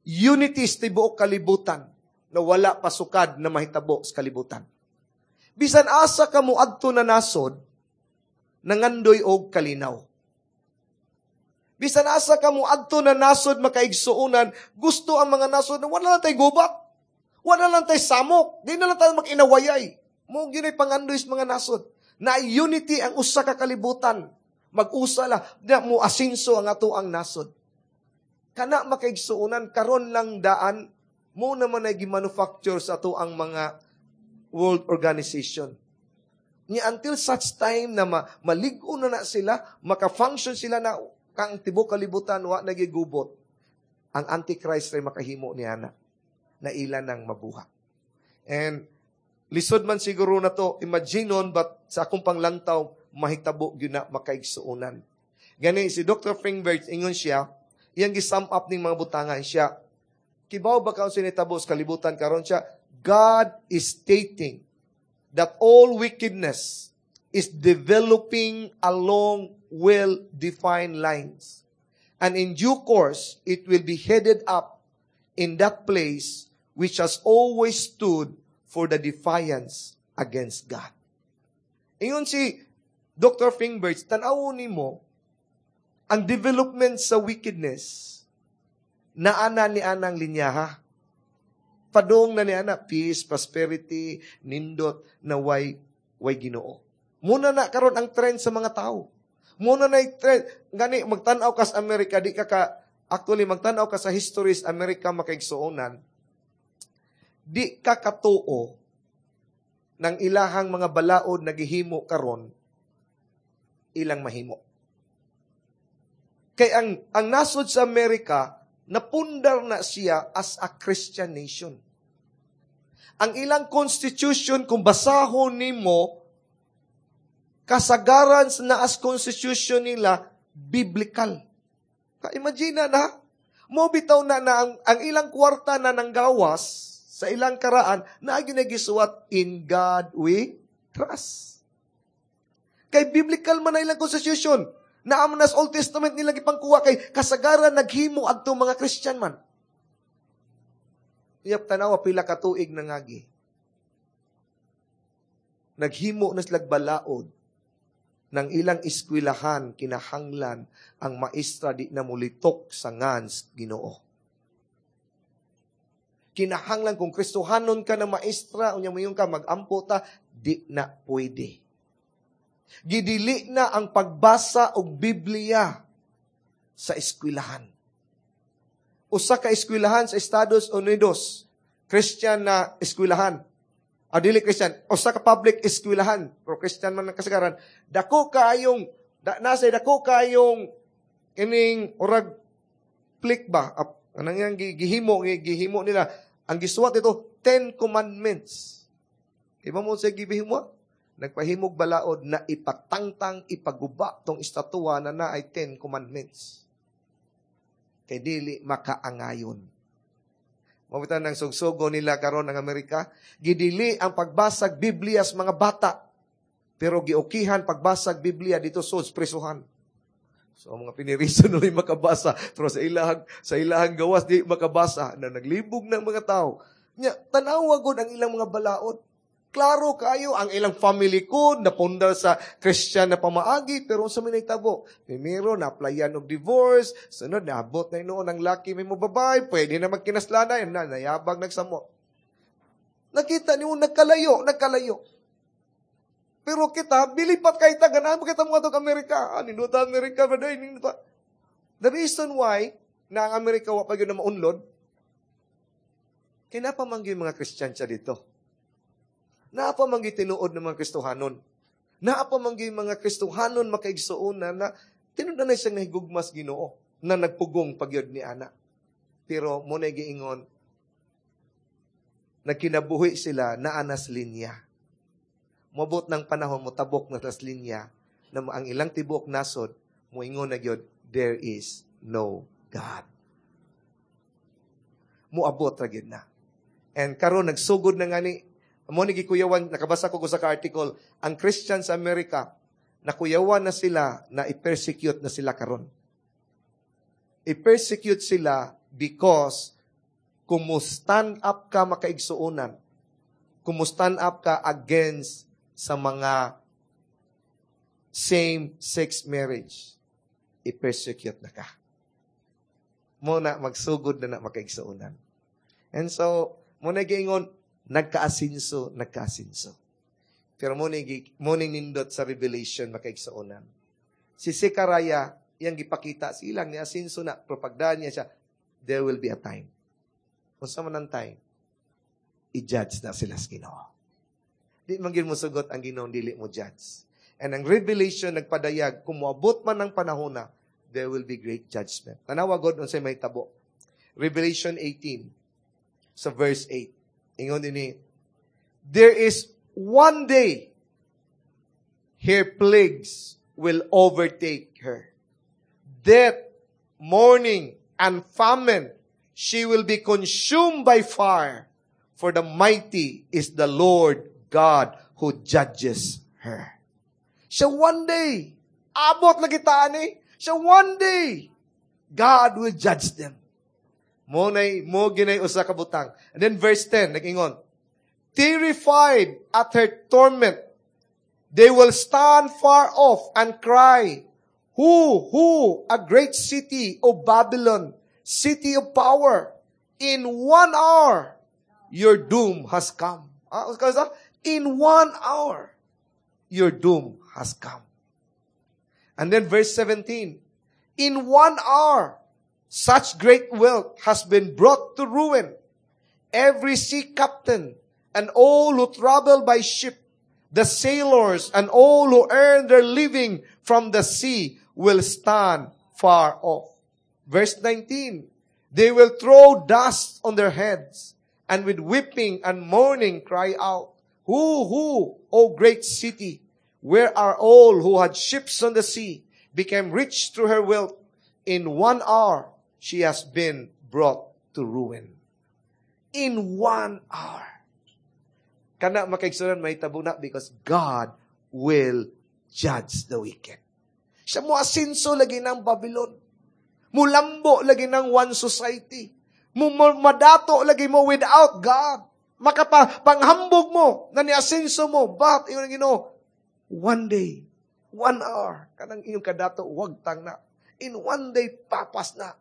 unity sa tibuok kalibutan na wala pasukad na mahitabo sa kalibutan. Bisan asa ka mo adto na nasod, nangandoy og kalinaw. Bisan asa ka mo adto na nasod makaigsuonan, gusto ang mga nasod na wala lang tay gubat, wala lang tay samok, di na lang tayo mag-inawayay. Mo gyud ay pangandoy sa mga nasod. Na unity ang usa ka kalibutan. Mag-usa la, di mo asinso ang ato ang nasod. Kana makaigsuonan karon lang daan mo naman ay gimanufacture sa ato ang mga world organization. Ni until such time na ma-, malig-o na na sila, maka-function sila na kang tibuok kalibutan wa nagigubot. Ang Antichrist ay makahimo niya na, na ila nang mabuha. And lisod man siguro na to, imaginon, but sa akong panglantaw, mahitabo gyud na makaigsuonan. Gani, si Doctor Frank Birch, ingon siya, iyang gi-sum up ning mga butangan siya. Kibaw ba kaon sinitabo sa kalibutan karon siya? God is stating that all wickedness is developing along well-defined lines. And in due course, it will be headed up in that place which has always stood for the defiance against God. Ingon si Doctor Frank Birch, tan-awon nimo ang development sa wickedness naana ni anang linyaha. Padung na ni ana peace, prosperity, nindot na way, way Ginoo. Muna na karon ang trend sa mga tao. Muna na yung trend. Gani, magtan-aw ka sa Amerika, di ka ka, actually, magtan-aw ka sa history sa Amerika makaigsuonan, di ka katuo ng ilahang mga balaod na gihimo karon, ilang mahimo. Kay ang, ang nasod sa Amerika, napundar na siya as a Christian nation. Ang ilang constitution, kung basahon nimo, kasagaran na as constitution nila, biblical. Ka-imagine na, Mo bitaw na na ang, ang ilang kwarta na nanggawas sa ilang karaan na gisuwat in God we trust. Kay biblical man na ilang constitution. Naa man sa Old Testament nilang ipangkuha kay kasagaran naghimo adto mga Christian man. Iyap tanawa pila ka tuig nangagi. Naghimo na sila balaod ng ilang eskwelahan kinahanglan ang maestra di na mulitok sa ngans Ginoo. Kinahanglan kung Kristohanon ka na maestra, unya moingon ka magampo ta, di na pwede. Gidili na ang pagbasa og Biblia sa eskwelahan. Usa ka eskwelahan sa Estados Unidos, Christian na eskwelahan. Ah, dili Christian, usa ka public eskwelahan, pero Christian man ang kasagaran, dako kaayong da, nasa dako kaayong kining urag plaque ba? Ap, anang yang gihimo gihimo nila ang gisuwat ito Ten Commandments. Iba mo sa gihimo? Nagpahimog balaod na ipatangtang ipaguba tong estatwa na naay Ten Commandments. Kay dili makaangayon. Mao bitaw nang sugsugo nila karon ng Amerika, gidili ang pagbasag Biblia sa mga bata. Pero giukihan pagbasag Biblia dito sa presuhan. So ang mga piniriso na makabasa, pero sa ilahang sa ilahang gawas di makabasa na naglibog ng mga tao. Nya tanawa gud ang ilang mga balaod. Klaro kayo ang ilang family code napundar sa Christian na pamaagi pero sa may nahitabo. Primero na applyan og divorce, sunod naabot na noon ang laki may mo babae, pwede na magkinaslana na nayabag nagsamo. Nakita niyo nagkalayo, nagkalayo. Pero kita, bilipat kay ta, ganahan mo kita mga Amerika. Ah, nindota Amerika ba day, nindota. The reason why na ang Amerika wa pa gyud na maunlod, kay naa pa man gyud mga Christian siya dito. Naa pa man gyud tinuod ng mga Kristohanon. Naa pa man gyud mga Kristohanon makaigsuonan na tinuod na siyang nahigugmas Ginoo na nagpugong pagyud ni ana. Pero mo na giingon nagkinabuhi sila na anas linya. Mabot ng panahon mo tabok na tas linya na ang ilang tibuok nasod moingon na gyud there is no God. Muabot ra gyud na. And karon nagsugod na ngani mo ni gikuyawan nakabasa ko sa ka article ang Christian sa Amerika nakuyawan na sila na i-persecute na sila karon. I-persecute sila because kung mo stand up ka makaigsuonan, kung mo stand up ka against sa mga same-sex marriage, i-persecute na ka. Mo na magsugod na na makaigsuonan. And so, mo na giingon, nagkaasinso, nagkaasinso. Pero mo ni mo ni nindot sa Revelation makaigsuonan. Si Zechariah, iyang gipakita silang ni asinso na propaganda niya siya, there will be a time. Unsa man ang time, i-judge na sila sa Ginoo. Di man gyud mo sugot ang Ginoo dili mo judge. And ang Revelation nagpadayag, kung moabot man ang panahon na, there will be great judgment. Tanawa God unsay mahitabo. Revelation eighteen sa verse eight. Ingon dinhi, there is one day her plagues will overtake her. Death, mourning, and famine, she will be consumed by fire. For the mighty is the Lord God who judges her. So one day, abot na kita ani. So one day, God will judge them. Mo nay mo ginay usa ka butang. And then verse ten, nag-ingon, terrified at her torment, they will stand far off and cry, Who, who, a great city, O Babylon, city of power, in one hour, your doom has come. Ah, in one hour, your doom has come. And then verse seventeen, in one hour, such great wealth has been brought to ruin. Every sea captain and all who travel by ship, the sailors and all who earn their living from the sea will stand far off. Verse nineteen, they will throw dust on their heads and with weeping and mourning cry out, Who, who, O great city, where are all who had ships on the sea, became rich through her wealth? In one hour, She has been brought to ruin. In one hour. Kana makaigsuonan mahitabo na because God will judge the wicked. Siya mo asinso lagi ng Babylon. Mulambo lagi ng one society. Madato lagi mo without God. Makapa panghambog mo na niasinso mo. But, ingon ang Ginoo, one day, one hour, kanang inyong kadato, wagtang na. In one day, papas na.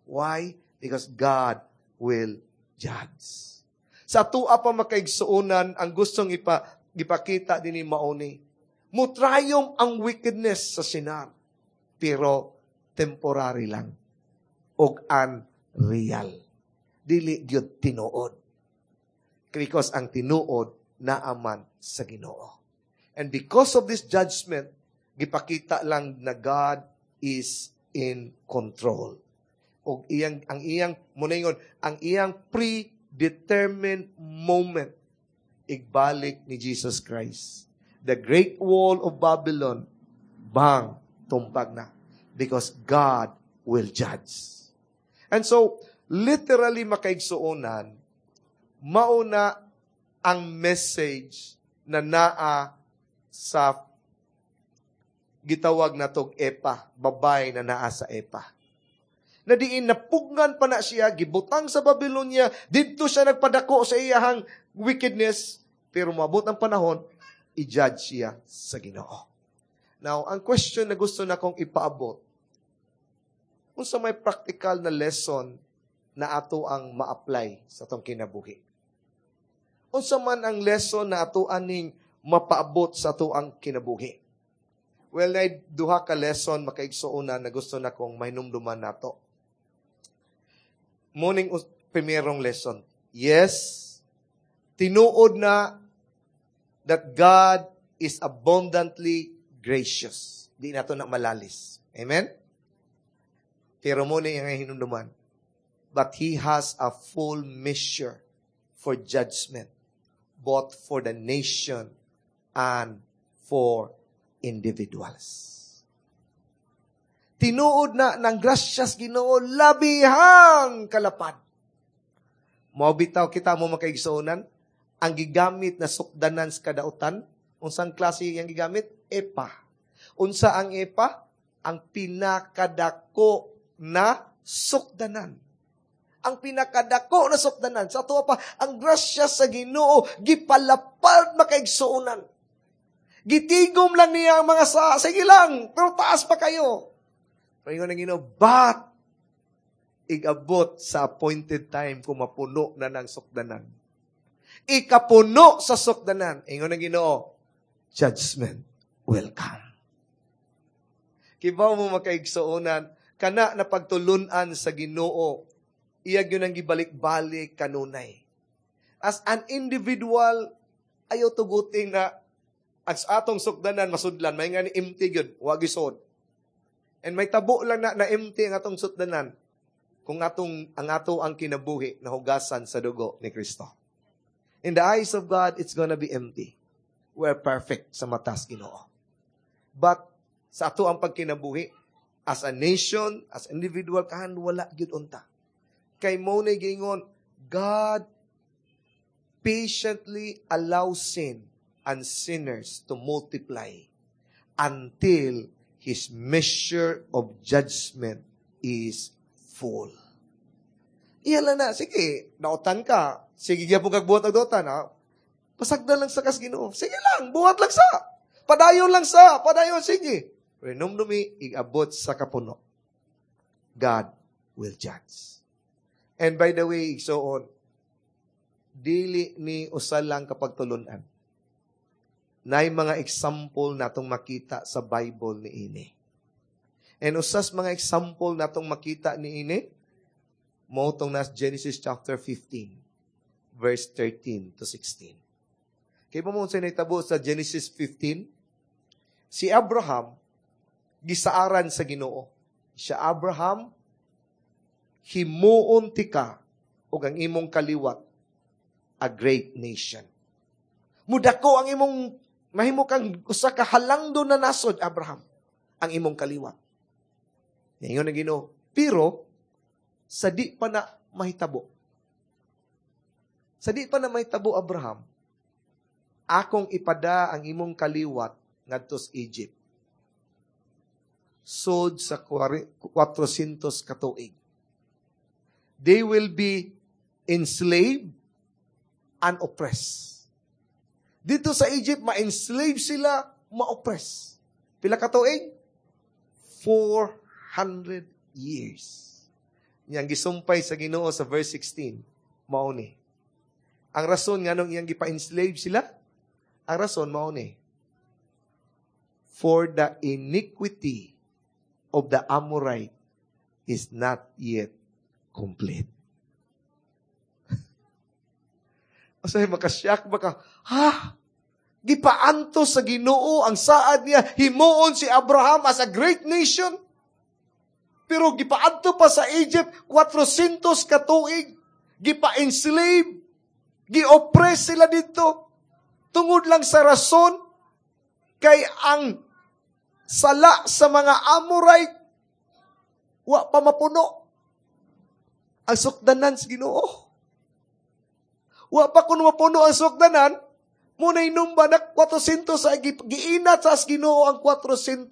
Why? Because God will judge. Sa atoa pa makaigsuonan, ang gustong ipa, ipakita din ni mauni. Mo-triumph ang wickedness sa Shinar. Pero temporary lang. Og unreal. Dili gyud tinuod. Because ang tinuod naaman sa Ginoo. And because of this judgment, gipakita lang na God is in control. Og iyang ang iyang muningon, ang iyang predetermined moment igbalik ni Jesus Christ. The great wall of Babylon, bang, tumpag na. Because God will judge. And so, literally makaigsuonan, mauna ang message na naa sa gitawag na tog epa, babay na naa sa epa. Na diin napugngan pa na siya, gibutang sa Babylonia, didto siya nagpadako sa iyahang wickedness, pero maabot ang panahon, i-judge siya sa Ginoo. Now, ang question na gusto na kong ipaabot, unsa may practical na lesson na ato ang ma-apply sa atong kinabuhi? Unsa man ang lesson na ato aning mapaabot sa ato ang kinabuhi? Well, nay duha ka lesson makaigsuonan na gusto na kong mahinumduman nato. Morning primerong lesson. Yes, tinuod na that God is abundantly gracious. Di nato na malalis. Amen? Pero mo ni ang hinumduman. But He has a full measure for judgment, both for the nation and for individuals. Tinuod na ng grasyas Ginoo labihang kalapad. Mao bitaw kita mo makaigsuonan ang gigamit na sukdanan sa kadautan, unsang klase yang gigamit? Epa. Unsa ang epa? Ang pinakadako na sukdanan. Ang pinakadako na sukdanan. Sa ato pa, ang grasya sa Ginoo gipalapad makaigsuonan. Gitigom lang niya ang mga sa, sige lang, pero taas pa kayo. Pero ingon ang Ginoo, but igabot sa appointed time kung mapuno na ng sukdanan. Ikapuno sa sukdanan. Ingon ang Ginoo, judgment will come. Kibaw mo makaigsuonan, kana na pagtulunan sa Ginoo, iyag yun ang gibalik-balik kanunay. As an individual, ayaw tugutin na ang atong sukdanan masudlan, may nga ni empty gyud, wa gisod. And may tabo lang na, na empty ang atong sukdanan kung atong ang ato ang kinabuhi na hugasan sa dugo ni Kristo. In the eyes of God, it's gonna be empty. We're perfect sa matas Ginoo. But sa ato ang pagkinabuhi, as a nation, as individual, kahan wala gyud unta. Kay mo na giingon, God patiently allows sin and sinners to multiply until His measure of judgment is full. Iya lang na, sige, nautan ka. Sige, gyapon kag buhat og dautan, ha? Pasagdan lang sa kas Ginoo. Sige lang, buhat lang sa. Padayon lang sa, padayon, sige. Pero numdumi, igabot sa kapuno. God will judge. And by the way, so on, dili ni usa lang kapag tulunan. Nay mga example natong makita sa Bible ni ini. And usas mga example natong makita ni ini, mao tong nas Genesis chapter fifteen, verse thirteen to sixteen. Kay pa mo sa nahitabo sa Genesis fifteen, si Abraham gisaaran sa Ginoo. Siya Abraham, himuon tika ug ang imong kaliwat a great nation. Mudako ang imong mahimo kang usa ka halangdon na nasod, Abraham, ang imong kaliwat. Ingon ang Ginoo. Pero Sa di pa na mahitabo. Sa di pa na mahitabo, Abraham, akong ipada ang imong kaliwat ngadto sa Egypt. Sod sa four hundred katuig. They will be enslaved and oppressed. Dito sa Egypt, ma-enslave sila, ma-oppress. Pila ka tuig? four hundred years. Iyang gisumpay sa Ginoo sa verse sixteen, mao ni. Ang rason nganong iyang gipa-enslave sila, ang rason mao ni. For the iniquity of the Amorite is not yet complete. Asay makasyak baka, ha? Gipaantos sa Ginoo ang saad niya, himuon si Abraham as a great nation. Pero gipaadto pa sa Egypt, four hundred katuig, gipa-enslave, gi-oppress sila dito. Tungod lang sa rason, kay ang sala sa mga Amorite, wa pa mapuno ang sukdanan sa Ginoo. Wa pa kun mapuno ang sukdanan, muna'y numba na four hundred sa giinat sa Ginoo ang four hundred.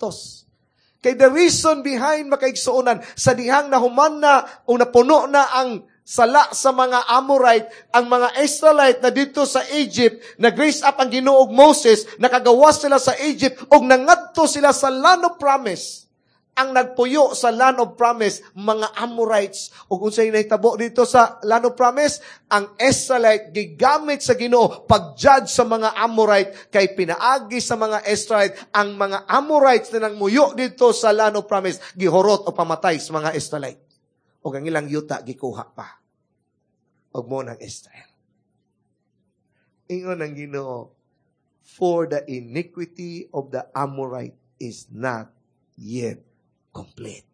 Kay the reason behind, makaigsuonan, sa dihang nahuman na o napuno na ang sala sa mga Amorite, ang mga Israelite na dito sa Egypt, nag-raise up ang Ginoo og Moses, nakagawas sila sa Egypt, og nangadto sila sa Land of Promise. Ang nagpuyo sa Land of Promise, mga Amorites. Ug unsay nahitabo dito sa Land of Promise? Ang Israelite gigamit sa Ginoo pag-judge sa mga Amorite kay pinaagi sa mga Israelite ang mga Amorites na nangmuyo dito sa Land of Promise gihurot o pamatay sa mga Israelite. Ug ang ilang yuta gikuha pa. Ug mo ng Israel. Ingon ang Ginoo, "For the iniquity of the Amorite is not yet complete."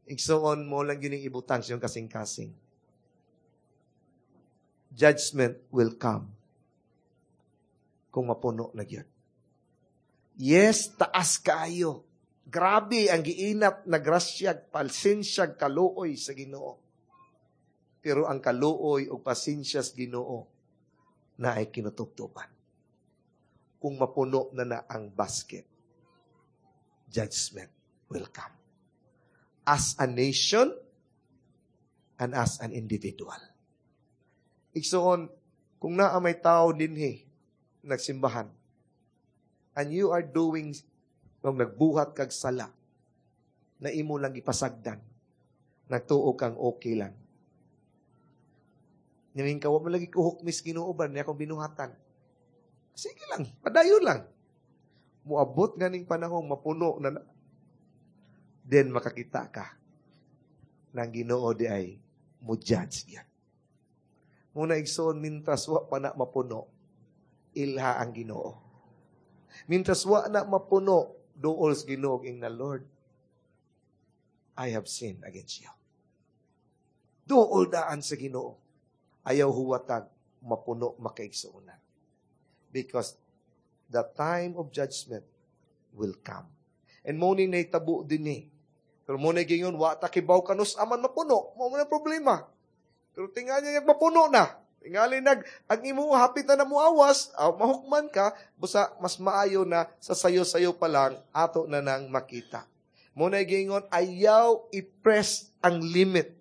Igsoon mo lang gining ibutang siyang kasing-kasing. Judgment will come kung mapuno na gyud. Yes, taas kaayo. Grabe ang giinat na grasya, pasensya, kaluoy sa Ginoo. Pero ang kaluoy o pasensya sa Ginoo na ay kinutubtuban. Kung mapuno na na ang basket, judgment will come. As a nation and as an individual. Igsoon, kung naa may tao dinhi nagsimbahan, and you are doing, kung nagbuhat kag sala, na imo lang ipasagdan, nagtuo kang okay lang. Ngayon ka, wa mo lagi kuhok mis Ginoo ba niya akong binuhatan. Sige lang, padayon lang. Muabot ganing panahon, mapuno na na. Then makakita ka ng Ginoo di ay mo judge niya. Muna igsoon, mintras wa pa na mapuno, ilha ang Ginoo. Mintras wa na mapuno, duol sa Ginoo ing na, "Lord, I have sinned against you." Duol daan sa Ginoo. Ayaw huwatag mapuno, makaigsuonan. Because the time of judgment will come. And mo ni nahitabo din eh. Pero mo na gingon, wa ta kibaw kanus aman mapuno. Mo na problema. Pero tingali niya mapuno na. Tingali nag ang imo hapit na namuawas, aw, mahukman ka, busa mas maayo na sa sayo-sayo pa lang ato na nang makita. Mo na gingon, ayaw i-press ang limit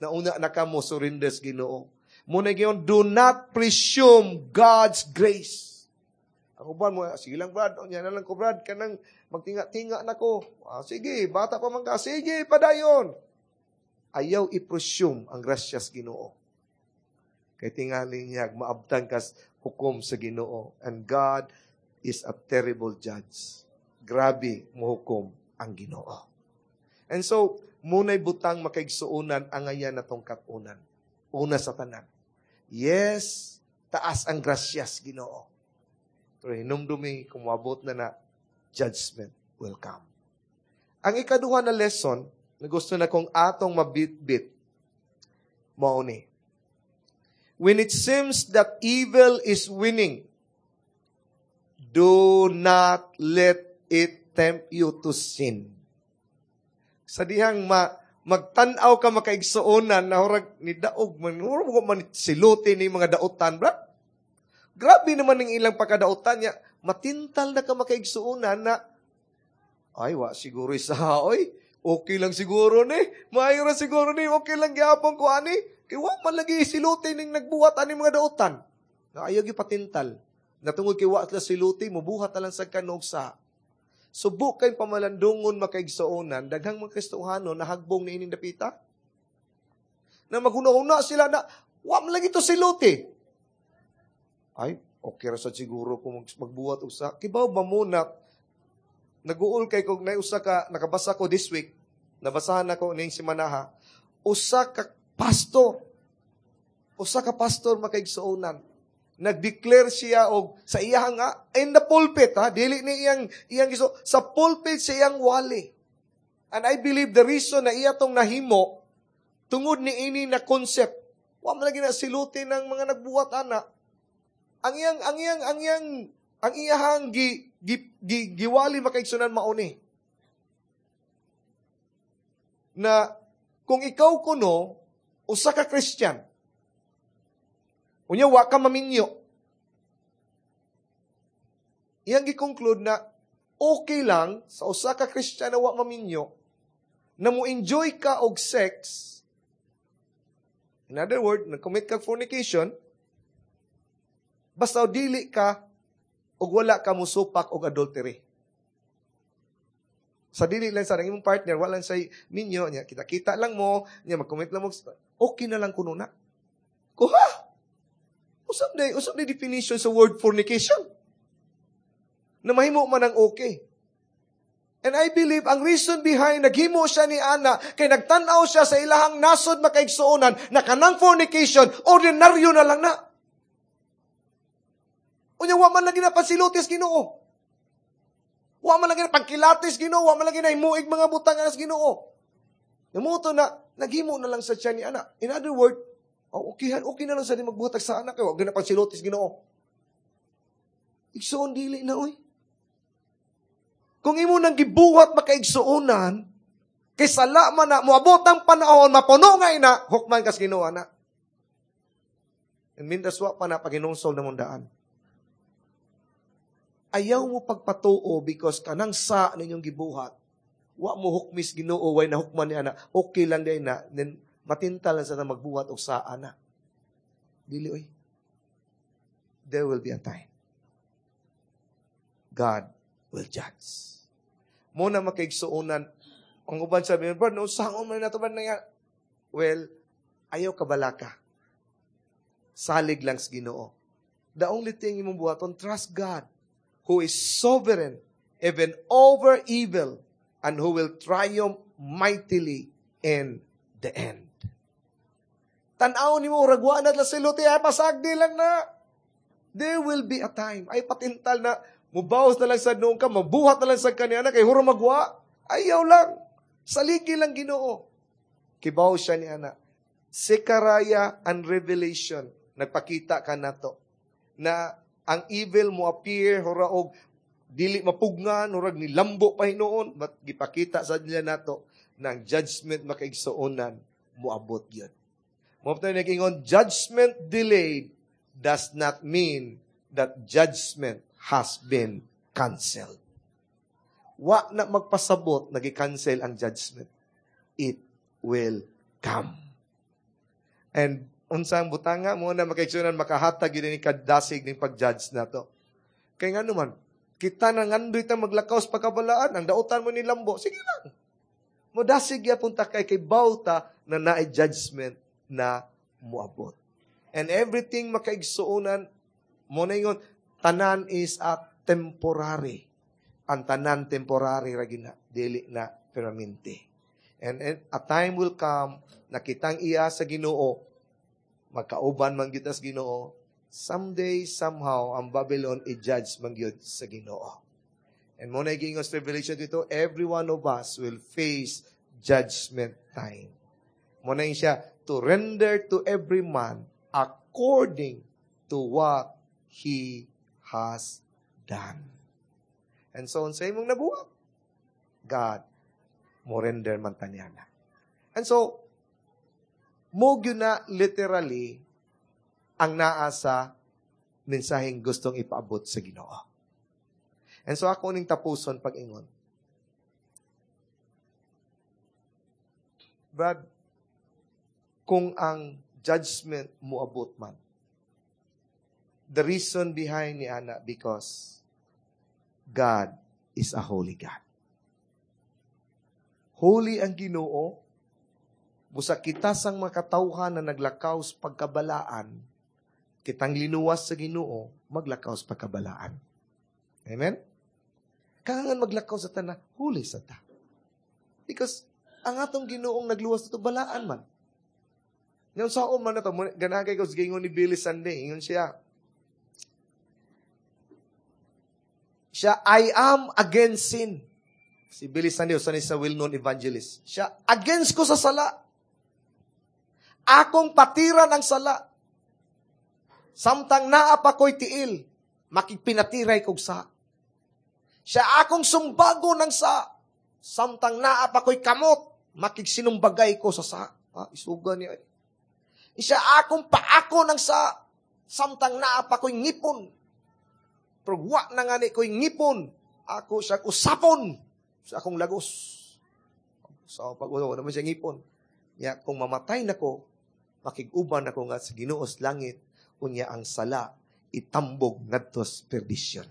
na una na ka mo surrender sa Ginoo. Mo na gingon, do not presume God's grace. Ang uban mo, "Sige lang, Brad, unya na lang ko, Brad, kanang magtinga-tinga na ko." Ah, sige, bata pa man ka, sige, padayon. Ayaw i-presume ang grasyas Ginoo. Kay tingali niya, maabtan kas hukom sa Ginoo. And God is a terrible judge. Grabe mohukom ang Ginoo. And so, muna'y butang, makaigsuonan, ang ngayan na tong katunan. Una sa tanan. Yes, taas ang grasyas Ginoo. Pero hinumdumi, kung moabot na na, judgment will come. Ang ikaduha na lesson na gusto na kong atong mabitbit, mao ni. When it seems that evil is winning, do not let it tempt you to sin. Sa dihang ma, Magtan-aw ka makaigsuonan na hurag ni daog man murag man siluti ni mga dautan bra. Grabe naman ning ilang pagkadautan niya. Matintal na ka makaigsuonan na ay wa siguro isa oy. Okay lang siguro ni. Maayo ra siguro ni. Okay lang gyapon ko ani. Kay wa man lagi siluti ning nagbuhat ani mga dautan. Na ayaw gipatintal. Natungod kay wa sila siluti, mubuhat na lang sa kanog sa. Subo kay pamalandungon makaigsuonan, daghang mga Kristohano nahagbong ni ining dapita. Na maghuna-huna sila na, wa man lagi to siluti. Ay, okay ra sad siguro kung magbuhat og sa. Kibaw ba mo na, naguol kay kog na usa ka, nakabasa ko this week, nabasahan nako ning simanaha, usa ka pastor, usa ka pastor makaigsuonan. Nag-declare siya og sa iyang nga in the pulpit ha, dili ni iyang iyang giso sa pulpit sa iyang wali. And I believe the reason na iya tong nahimo tungod ni ini na concept. Wa man lagi na siluti ng mga nagbuhat ana. Ang iyang ang iyang ang iyang ang iyahang gi, gi, gi, giwali makaigsunan mao ni. Na kung ikaw kuno usa ka Christian, unya wa ka maminyo. Iyang gi-conclude na okay lang sa usa ka Christian na wa maminyo na mo enjoy ka og sex. In other word, nag-commit ka fornication, basta dili ka og wala ka musupak og adultery. Sa dili lang sa imong partner, wala lang say minyo niya, kita-kita lang mo, niya mag-commit lang mo, okay na lang kuno na. Kuha! Usab day, usab day definition sa word fornication. Na mahimo man ang okay. And I believe ang reason behind naghimo siya ni Ana kay nagtan-aw siya sa ilahang nasod makaigsuonan na kanang fornication ordinaryo na lang na. Unya wa man lagi na pansilutis Ginoo. Wa man lagi na pangkilatis Ginoo, wa man lagi na himuig mga butang sa Ginoo. Namuto na naghimo na lang sa siya ni Ana. In other word, oh, okay, okay na lang sa di magbuhatag sa anak kay wa na pansilutis Ginoo. Igsuon dili na oy. Kung imo nang gibuhat makaigsuonan, kay sala man na, moabot ang panahon, mapuno nga ina, hukman kas Ginoo na. And mintas wa pa na paginungsol na mong daan. Ayaw mo pagpatuo because kanang sa ninyong gibuhat, wa mo hukmis Ginoo, way na hukman ni ana, okay lang day na, then matintal lang sa na magbuhat og saa na. Dili oy. There will be a time. God will judge. Mo na makaigsuonan, ang uban sabi, bro, no, sangon man na ito ba na yan? Well, ayaw kabalaka. Salig lang sa Ginoo. The only thing imong buhaton, trust God, who is sovereign even over evil, and who will triumph mightily in the end. Tan-aw nimo ragwa na la siluti ay pasagdi lang na. There will be a time. Ay patintal na mubawas na lang sa noong ka, mabuhat na lang sa kanya na kay huro magwa. Ayaw lang. Saligi lang Ginoo. Kibaw siya ni ana. Zechariah and Revelation nagpakita ka nato na ang evil mo appear hura og dili mapugngan hurag nilambo pa hinuon but gipakita sa nila nato ng judgment makaigsuonan moabot gyud. Mo pa nag-ingon judgment delayed does not mean that judgment has been canceled. Wa na magpasabot nagi-cancel ang judgment. It will come. And unsang butanga mo na makaigsuonan makahatag yun ni kadasig ning pag-judge nato. Kay nga naman, kita na ngandoy ta maglakaw sa pagkabalaan, ang dautan mo ni lambo, sige lang. Modasig gyapon ta kay kay bawta na naay judgment na moabot. And everything makaigsuonan, mo na ingon, tanan is a temporary. Ang tanan temporary ra gina, dili na permanente. And, and a time will come na kitang iya sa Ginoo, magkauban man kita sa Ginoo, someday, somehow, ang Babylon i-judge man gyud sa Ginoo. And mo na giingon sa Revelation dito, every one of us will face judgment time. Mo na siya, to render to every man according to what he has done. And so, sa imong nabuhat, God, mo render man tanyana. And so, mao gyud na literally ang naa sa mensaheng gustong ipaabot sa Ginoo. And so ako ning tapuson pag-ingon. Brad, kung ang judgment muabot man, the reason behind ni ana because God is a holy God. Holy ang Ginoo, busa kita sang makatawhan na naglakaw sa pagkabalaan, kitang linuwas sa Ginoo, maglakaw sa pagkabalaan. Amen? Kangan maglakaw sa tanan, holy sa ta. Because ang atong Ginoong nagluwas nato balaan man. Ngayon sa man na to, ganagay ko sa gingon ni Billy Sunday, ingon siya, siya, I am against sin. Si Billy Sunday, usa ni sa well-known evangelist. Siya, against ko sa sala. Akong patiran ang sala. Samtang naa pa ko'y tiil, makigpinatiray kog sa. Siya akong sumbago ng sa. Samtang naa pa ko'y kamot, makigsinumbagay ko sa sa. Ah, isuga niya. Siya akong paako ng sa. Samtang naa pa ko'y ngipon. Pero wa na nga ni ko'y ngipon. Ako siya usapon sa akong lagos. So, pag wala naman siya ngipon. Ya, kung mamatay na ko, makig-uban ako nga sa Ginoos langit, unya ang sala, itambog ngadto sa perdisyon.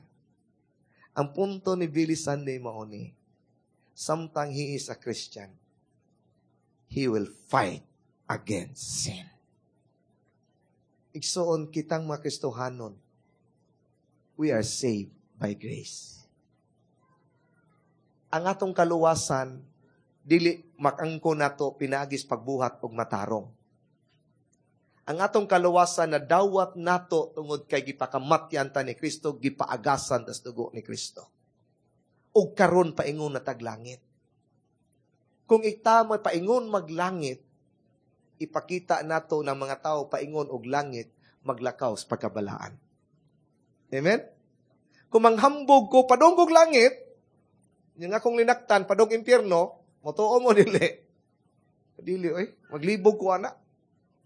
Ang punto ni Billy Sunday mao ni, samtang he is a Christian, he will fight against sin. Igsoon kitang mga Kristohanon, we are saved by grace. Ang atong kaluwasan, dili makangko nato pinaagis pagbuhat og matarong. Ang atong kaluwasan na dawat nato tungod kay gipakamatyan ta ni Kristo, gipaagasan tas dugo ni Kristo. Ug karon paingon na tag langit. Kung ita mo paingon maglangit, ipakita nato ng mga tao paingon og langit, maglakaw sa pagkabalaan. Amen? Kung manghambog ko padung og langit, yung akong linaktan padung impyerno, motuo mo dili. Dili oy, maglibog ko ana.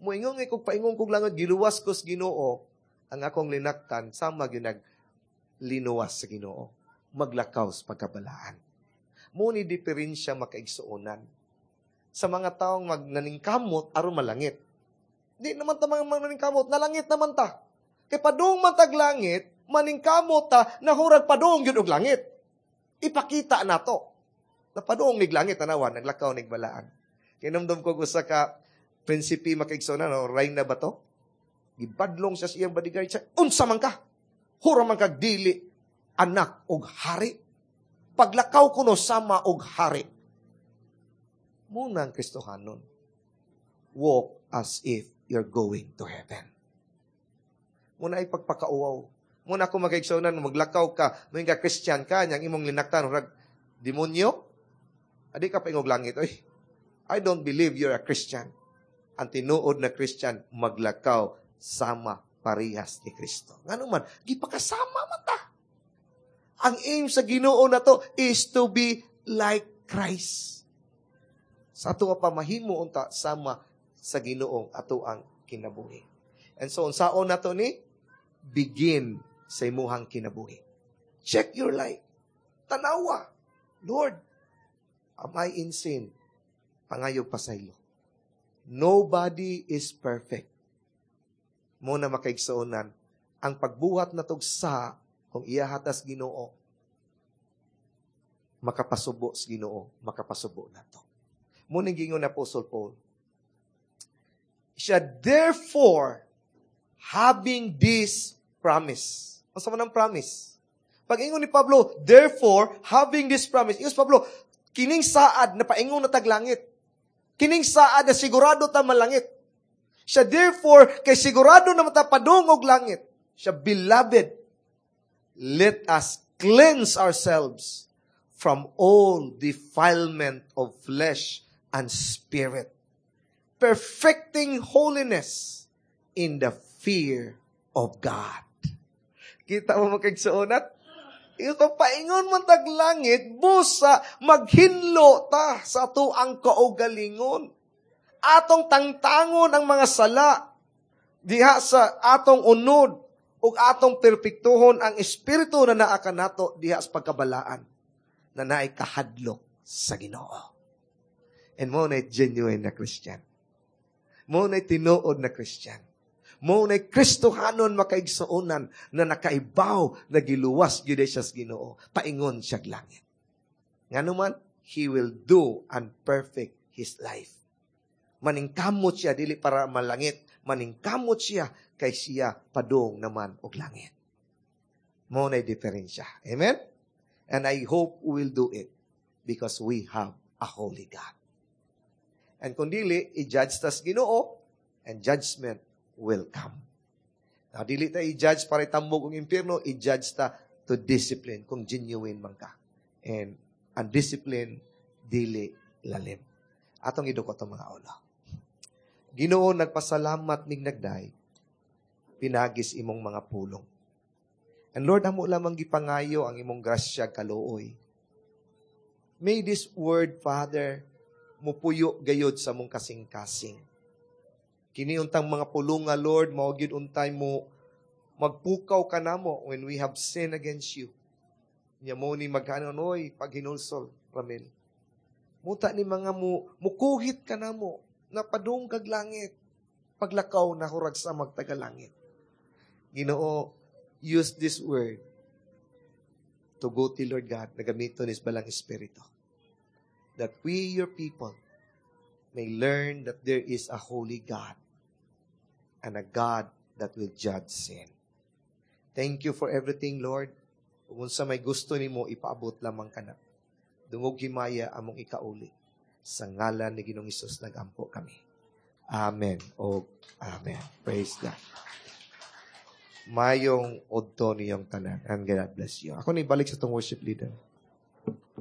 Moingon kog paingon kog langit, giluwas ko sa Ginoo ang akong linaktan sama gyud naglinuwas sa Ginoo. Maglakaw sa pagkabalaan. Mo ni diferensya makaigsuonan sa mga taong magnaningkamot aron malangit. Di naman ta mga maningkamot, nalangit naman ta. Kay padung man tag langit, maningkamot ta, nahurag padung gyud og langit. Ipakita nato. Napadung nig langit, tanawa, naglakaw nig balaan. Kinumdum ko usa ka prinsipe makaigsuonan, no, reyna ba to? Gibadlong siya sa iyang bodyguard siya, unsa man ka? Hura man kag dili anak og hari. Paglakaw kuno sama og hari. Muna ang Kristohanon. Walk as if you're going to heaven. Muna ay pagpakauwaw. Muna kung makaigsuonan, maglakaw ka, may ka Christian ka, niyang imong linaktan, murag demonyo, adi ka paingog langit, oy. I don't believe you're a Christian. Ang tinuod na Christian, maglakaw sama parehas ni Kristo. Ngano man, gipakasama man ta. Ang aim sa Ginoo na to is to be like Christ. Sa ato pa mahimo unta sama sa Ginoong ato ang kinabuhi. And so unsaon nato ni begin sa imuhang kinabuhi. Check your life. Tanawa. Lord, am I in sin? Pangayo pasaylo. Nobody is perfect. Mo na makaigsuonan, ang pagbuhat na sa kung iyahatas Ginoo, makapasubo sa Ginoo, makapasubo nato. Mo ning gingon ni Apostle Paul. Siya, therefore, having this promise. Unsa man ang promise? Pag ingon ni Pablo, therefore, having this promise. Ingon si Pablo, kining saad na paingon na taglangit. Kining saad na sigurado ta malangit. Siya, therefore, kay sigurado na mata padung og langit. Siya, beloved, let us cleanse ourselves from all defilement of flesh and spirit, perfecting holiness in the fear of God. Kita mo makaigsuonat? Ito, paingon man tag langit, busa, maghinlo ta sa ato ang kaugalingon. Atong tangtangon ang mga sala diha sa atong unod ug atong perpektuhon ang espiritu na naa kanato diha sa pagkabalaan na naay kahadlok sa Ginoo. And mao na genuine na Christian. Mao na tinuod na Christian. Mao na Kristohanon makaigsuonan na nakaibaw na giluwas gyud siya sa Ginoo. Paingon siya langit. Ngano man, he will do and perfect his life. Maningkamot siya dili para malangit, maningkamot siya kay siya padung naman og langit. Mao na diferensya. Amen? And I hope we will do it because we have a holy God. And kung dili, i-judge tas Ginoo and judgment will come. Now, dili ta i-judge para itambog ang impyerno, i-judge ta to discipline kung genuine man ka. And ang discipline, dili lalim. Atong idukot ang mga ulo. Ginoo, nagpasalamat mig nagday, pinagis imong mga pulong. And Lord, amo lamang gipangayo ang imong grasya kaluoy. May this word, Father, mupuyo gayod sa mong kasing-kasing. Kini untang mga pulunga, Lord, mao gyud untay mo magpukaw ka namo when we have sinned against you. Nya mo ni magkano oy paghinulsol, Ramil. Muta ni mga mo mukuhit ka namo na padung kag langit. Paglakaw na hurag sa magtagalangit. Ginoo, use this word to go to Lord God, na gamiton is balang espiritu. That we, your people, may learn that there is a holy God and a God that will judge sin. Thank you for everything, Lord. Kung unsa may gusto nimo, ipaabot lamang kana. Dungog himaya among ikauli. Sa ngalan ni Ginoong Hesus nagampo kami. Amen. O Amen. Praise God. Mayong udto niyong tanan. And God bless you. Ako ni balik sa tong worship leader.